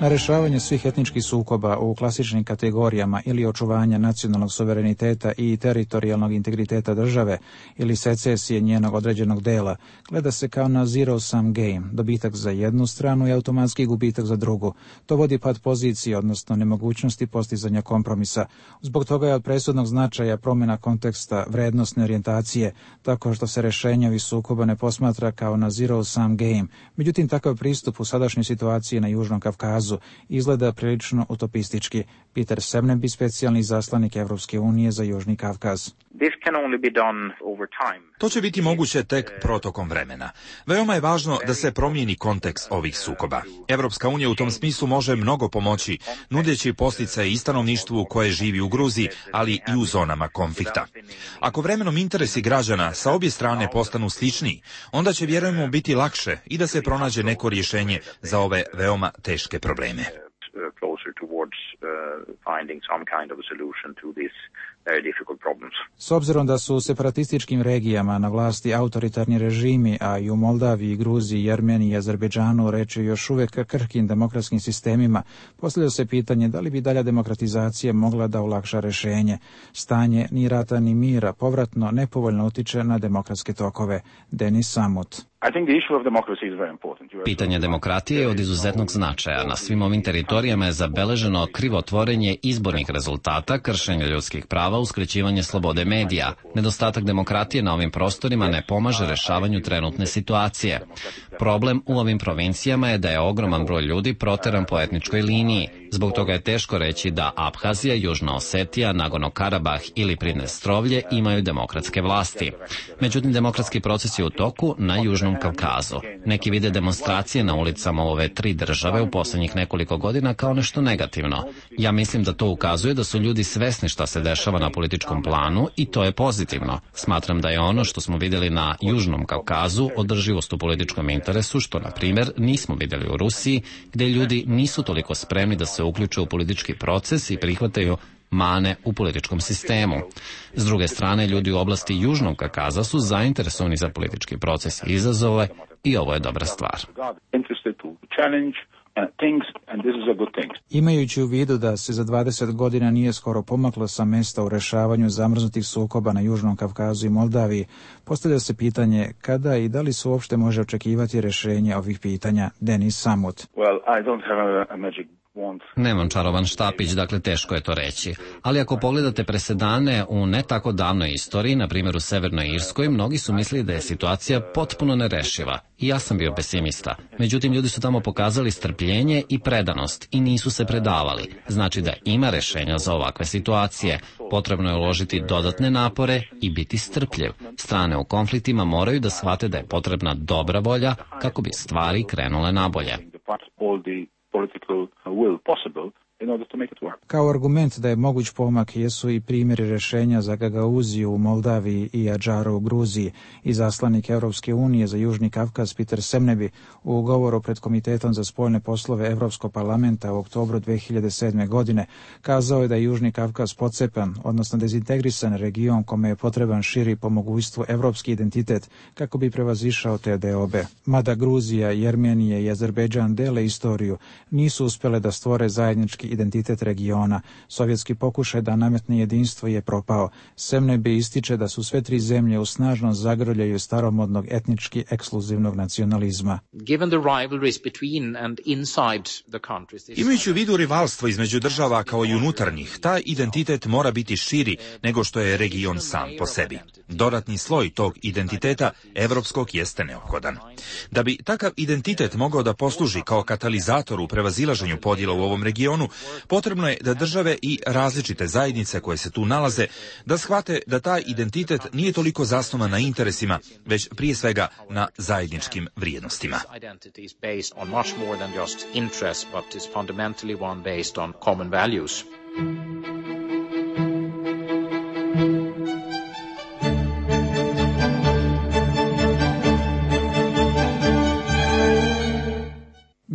Na rješavanje svih etničkih sukoba u klasičnim kategorijama ili očuvanja nacionalnog suvereniteta i teritorijalnog integriteta države ili secesije njenog određenog dela gleda se kao na zero sum game, dobitak za jednu stranu i automatski gubitak za drugu. To vodi pad pozicije, odnosno nemogućnosti postizanja kompromisa. Zbog toga je od presudnog značaja promjena konteksta vrednostne orijentacije, tako što se rješenje ovih sukoba ne posmatra kao na zero sum game. Međutim, takav pristup u sadašnjoj situaciji na Južnom Kavkazu Kavkazu izgleda prilično utopistički. Peter Semneby, specijalni izaslanik Evropske unije za Južni Kavkaz. To će biti moguće tek protokom vremena. Veoma je važno da se promijeni kontekst ovih sukoba. Evropska unija u tom smislu može mnogo pomoći, nudeći podsticaje i stanovništvu koje živi u Gruziji, ali i u zonama konflikta. Ako vremenom interesi građana sa obje strane postanu sličniji, onda će, vjerujemo, biti lakše i da se pronađe neko rješenje za ove veoma teške probleme. S obzirom da su u separatističkim regijama na vlasti autoritarni režimi, a i u Moldaviji, Gruziji, Jermeniji i Azerbejdžanu reč je još uvijek krhkim demokratskim sistemima, postavlja se pitanje da li bi dalja demokratizacija mogla da olakša rješenje. Stanje ni rata ni mira povratno nepovoljno utiče na demokratske tokove. Denis Samut. Pitanje demokratije je od izuzetnog značaja. Na svim ovim teritorijama je zabeleženo krivotvorenje izbornih rezultata, kršenje ljudskih prava, uskraćivanje slobode medija. Nedostatak demokratije na ovim prostorima ne pomaže rešavanju trenutne situacije. Problem u ovim provincijama je da je ogroman broj ljudi proteran po etničkoj liniji. Zbog toga je teško reći da Abhazija, Južna Osetija, Nagorno-Karabah ili Pridnestrovlje imaju demokratske vlasti. Međutim, demokratski proces je u toku na Južnom Kavkazu. Neki vide demonstracije na ulicama ove tri države u posljednjih nekoliko godina kao nešto negativno. Ja mislim da to ukazuje da su ljudi svesni šta se dešava na političkom planu i to je pozitivno. Smatram da je ono što smo vidjeli na Južnom Kavkazu održivost u političkom interesu, što, na primjer, nismo vidjeli u Rusiji, gdje ljudi nisu toliko spremni da se uključe u politički proces i prihvataju mane u političkom sistemu. S druge strane, ljudi u oblasti Južnog Kavkaza su zainteresovani za politički proces i izazove i ovo je dobra stvar. Imajući u vidu da se za dvadeset godina nije skoro pomaklo sa mesta u rešavanju zamrznutih sukoba na Južnom Kavkazu i Moldaviji, postavlja se pitanje kada i da li se uopšte može očekivati rješenje ovih pitanja. Denis Samut. Well, I don't have a, a magic Nemam čarovan štapić, dakle teško je to reći. Ali ako pogledate presedane u ne tako davnoj istoriji, na primjer u Severnoj Irskoj, mnogi su mislili da je situacija potpuno nerešiva. I ja sam bio pesimista. Međutim, ljudi su tamo pokazali strpljenje i predanost i nisu se predavali. Znači da ima rešenja za ovakve situacije. Potrebno je uložiti dodatne napore i biti strpljiv. Strane u konfliktima moraju da shvate da je potrebna dobra volja kako bi stvari krenule nabolje. Kao argument da je moguć pomak jesu i primjeri rješenja za Gagauziju u Moldaviji i Adžaru u Gruziji. Izaslanik Evropske unije za Južni Kavkaz Peter Semneby u govoru pred Komitetom za spoljne poslove Evropskog parlamenta u oktobru dve hiljade sedme. godine kazao je da je Južni Kavkaz pocepan, odnosno dezintegrisan region kome je potreban širi po mogućstvu evropski identitet kako bi prevazišao te deobe. Mada Gruzija, Jermenija i Azerbejdžan dele istoriju, nisu uspjele da stvore zajednički identitet regiona. Sovjetski pokušaj da nametne jedinstvo je propao. Semneby ističe da su sve tri zemlje u snažnom zagrljaju staromodnog etnički ekskluzivnog nacionalizma. Imajući u vidu rivalstvo između država kao i unutarnjih, taj identitet mora biti širi nego što je region sam po sebi. Dodatni sloj tog identiteta evropskog jeste neophodan. Da bi takav identitet mogao da posluži kao katalizator u prevazilaženju podjela u ovom regionu, potrebno je da države i različite zajednice koje se tu nalaze da shvate da taj identitet nije toliko zasnovan na interesima, već prije svega na zajedničkim vrijednostima.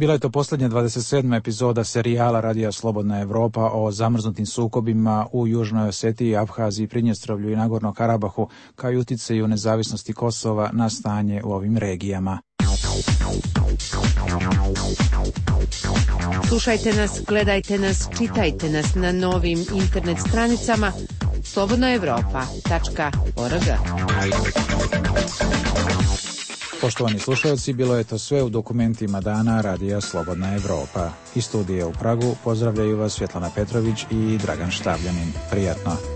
Bila je to posljednja dvadeset sedma epizoda serijala Radija Slobodna Evropa o zamrznutim sukobima u Južnoj Osetiji, Abhaziji, Pridnjestrovlju i Nagorno Karabahu, kao i uticaju nezavisnosti Kosova na stanje u ovim regijama. Slušajte nas, gledajte nas, čitajte nas na novim internet stranicama slobodna evropa tačka org. Poštovani slušalci, bilo je to sve u dokumentima dana Radija Slobodna Evropa. Iz studija u Pragu pozdravljaju vas Svjetlana Petrović i Dragan Štavljanin. Prijatno.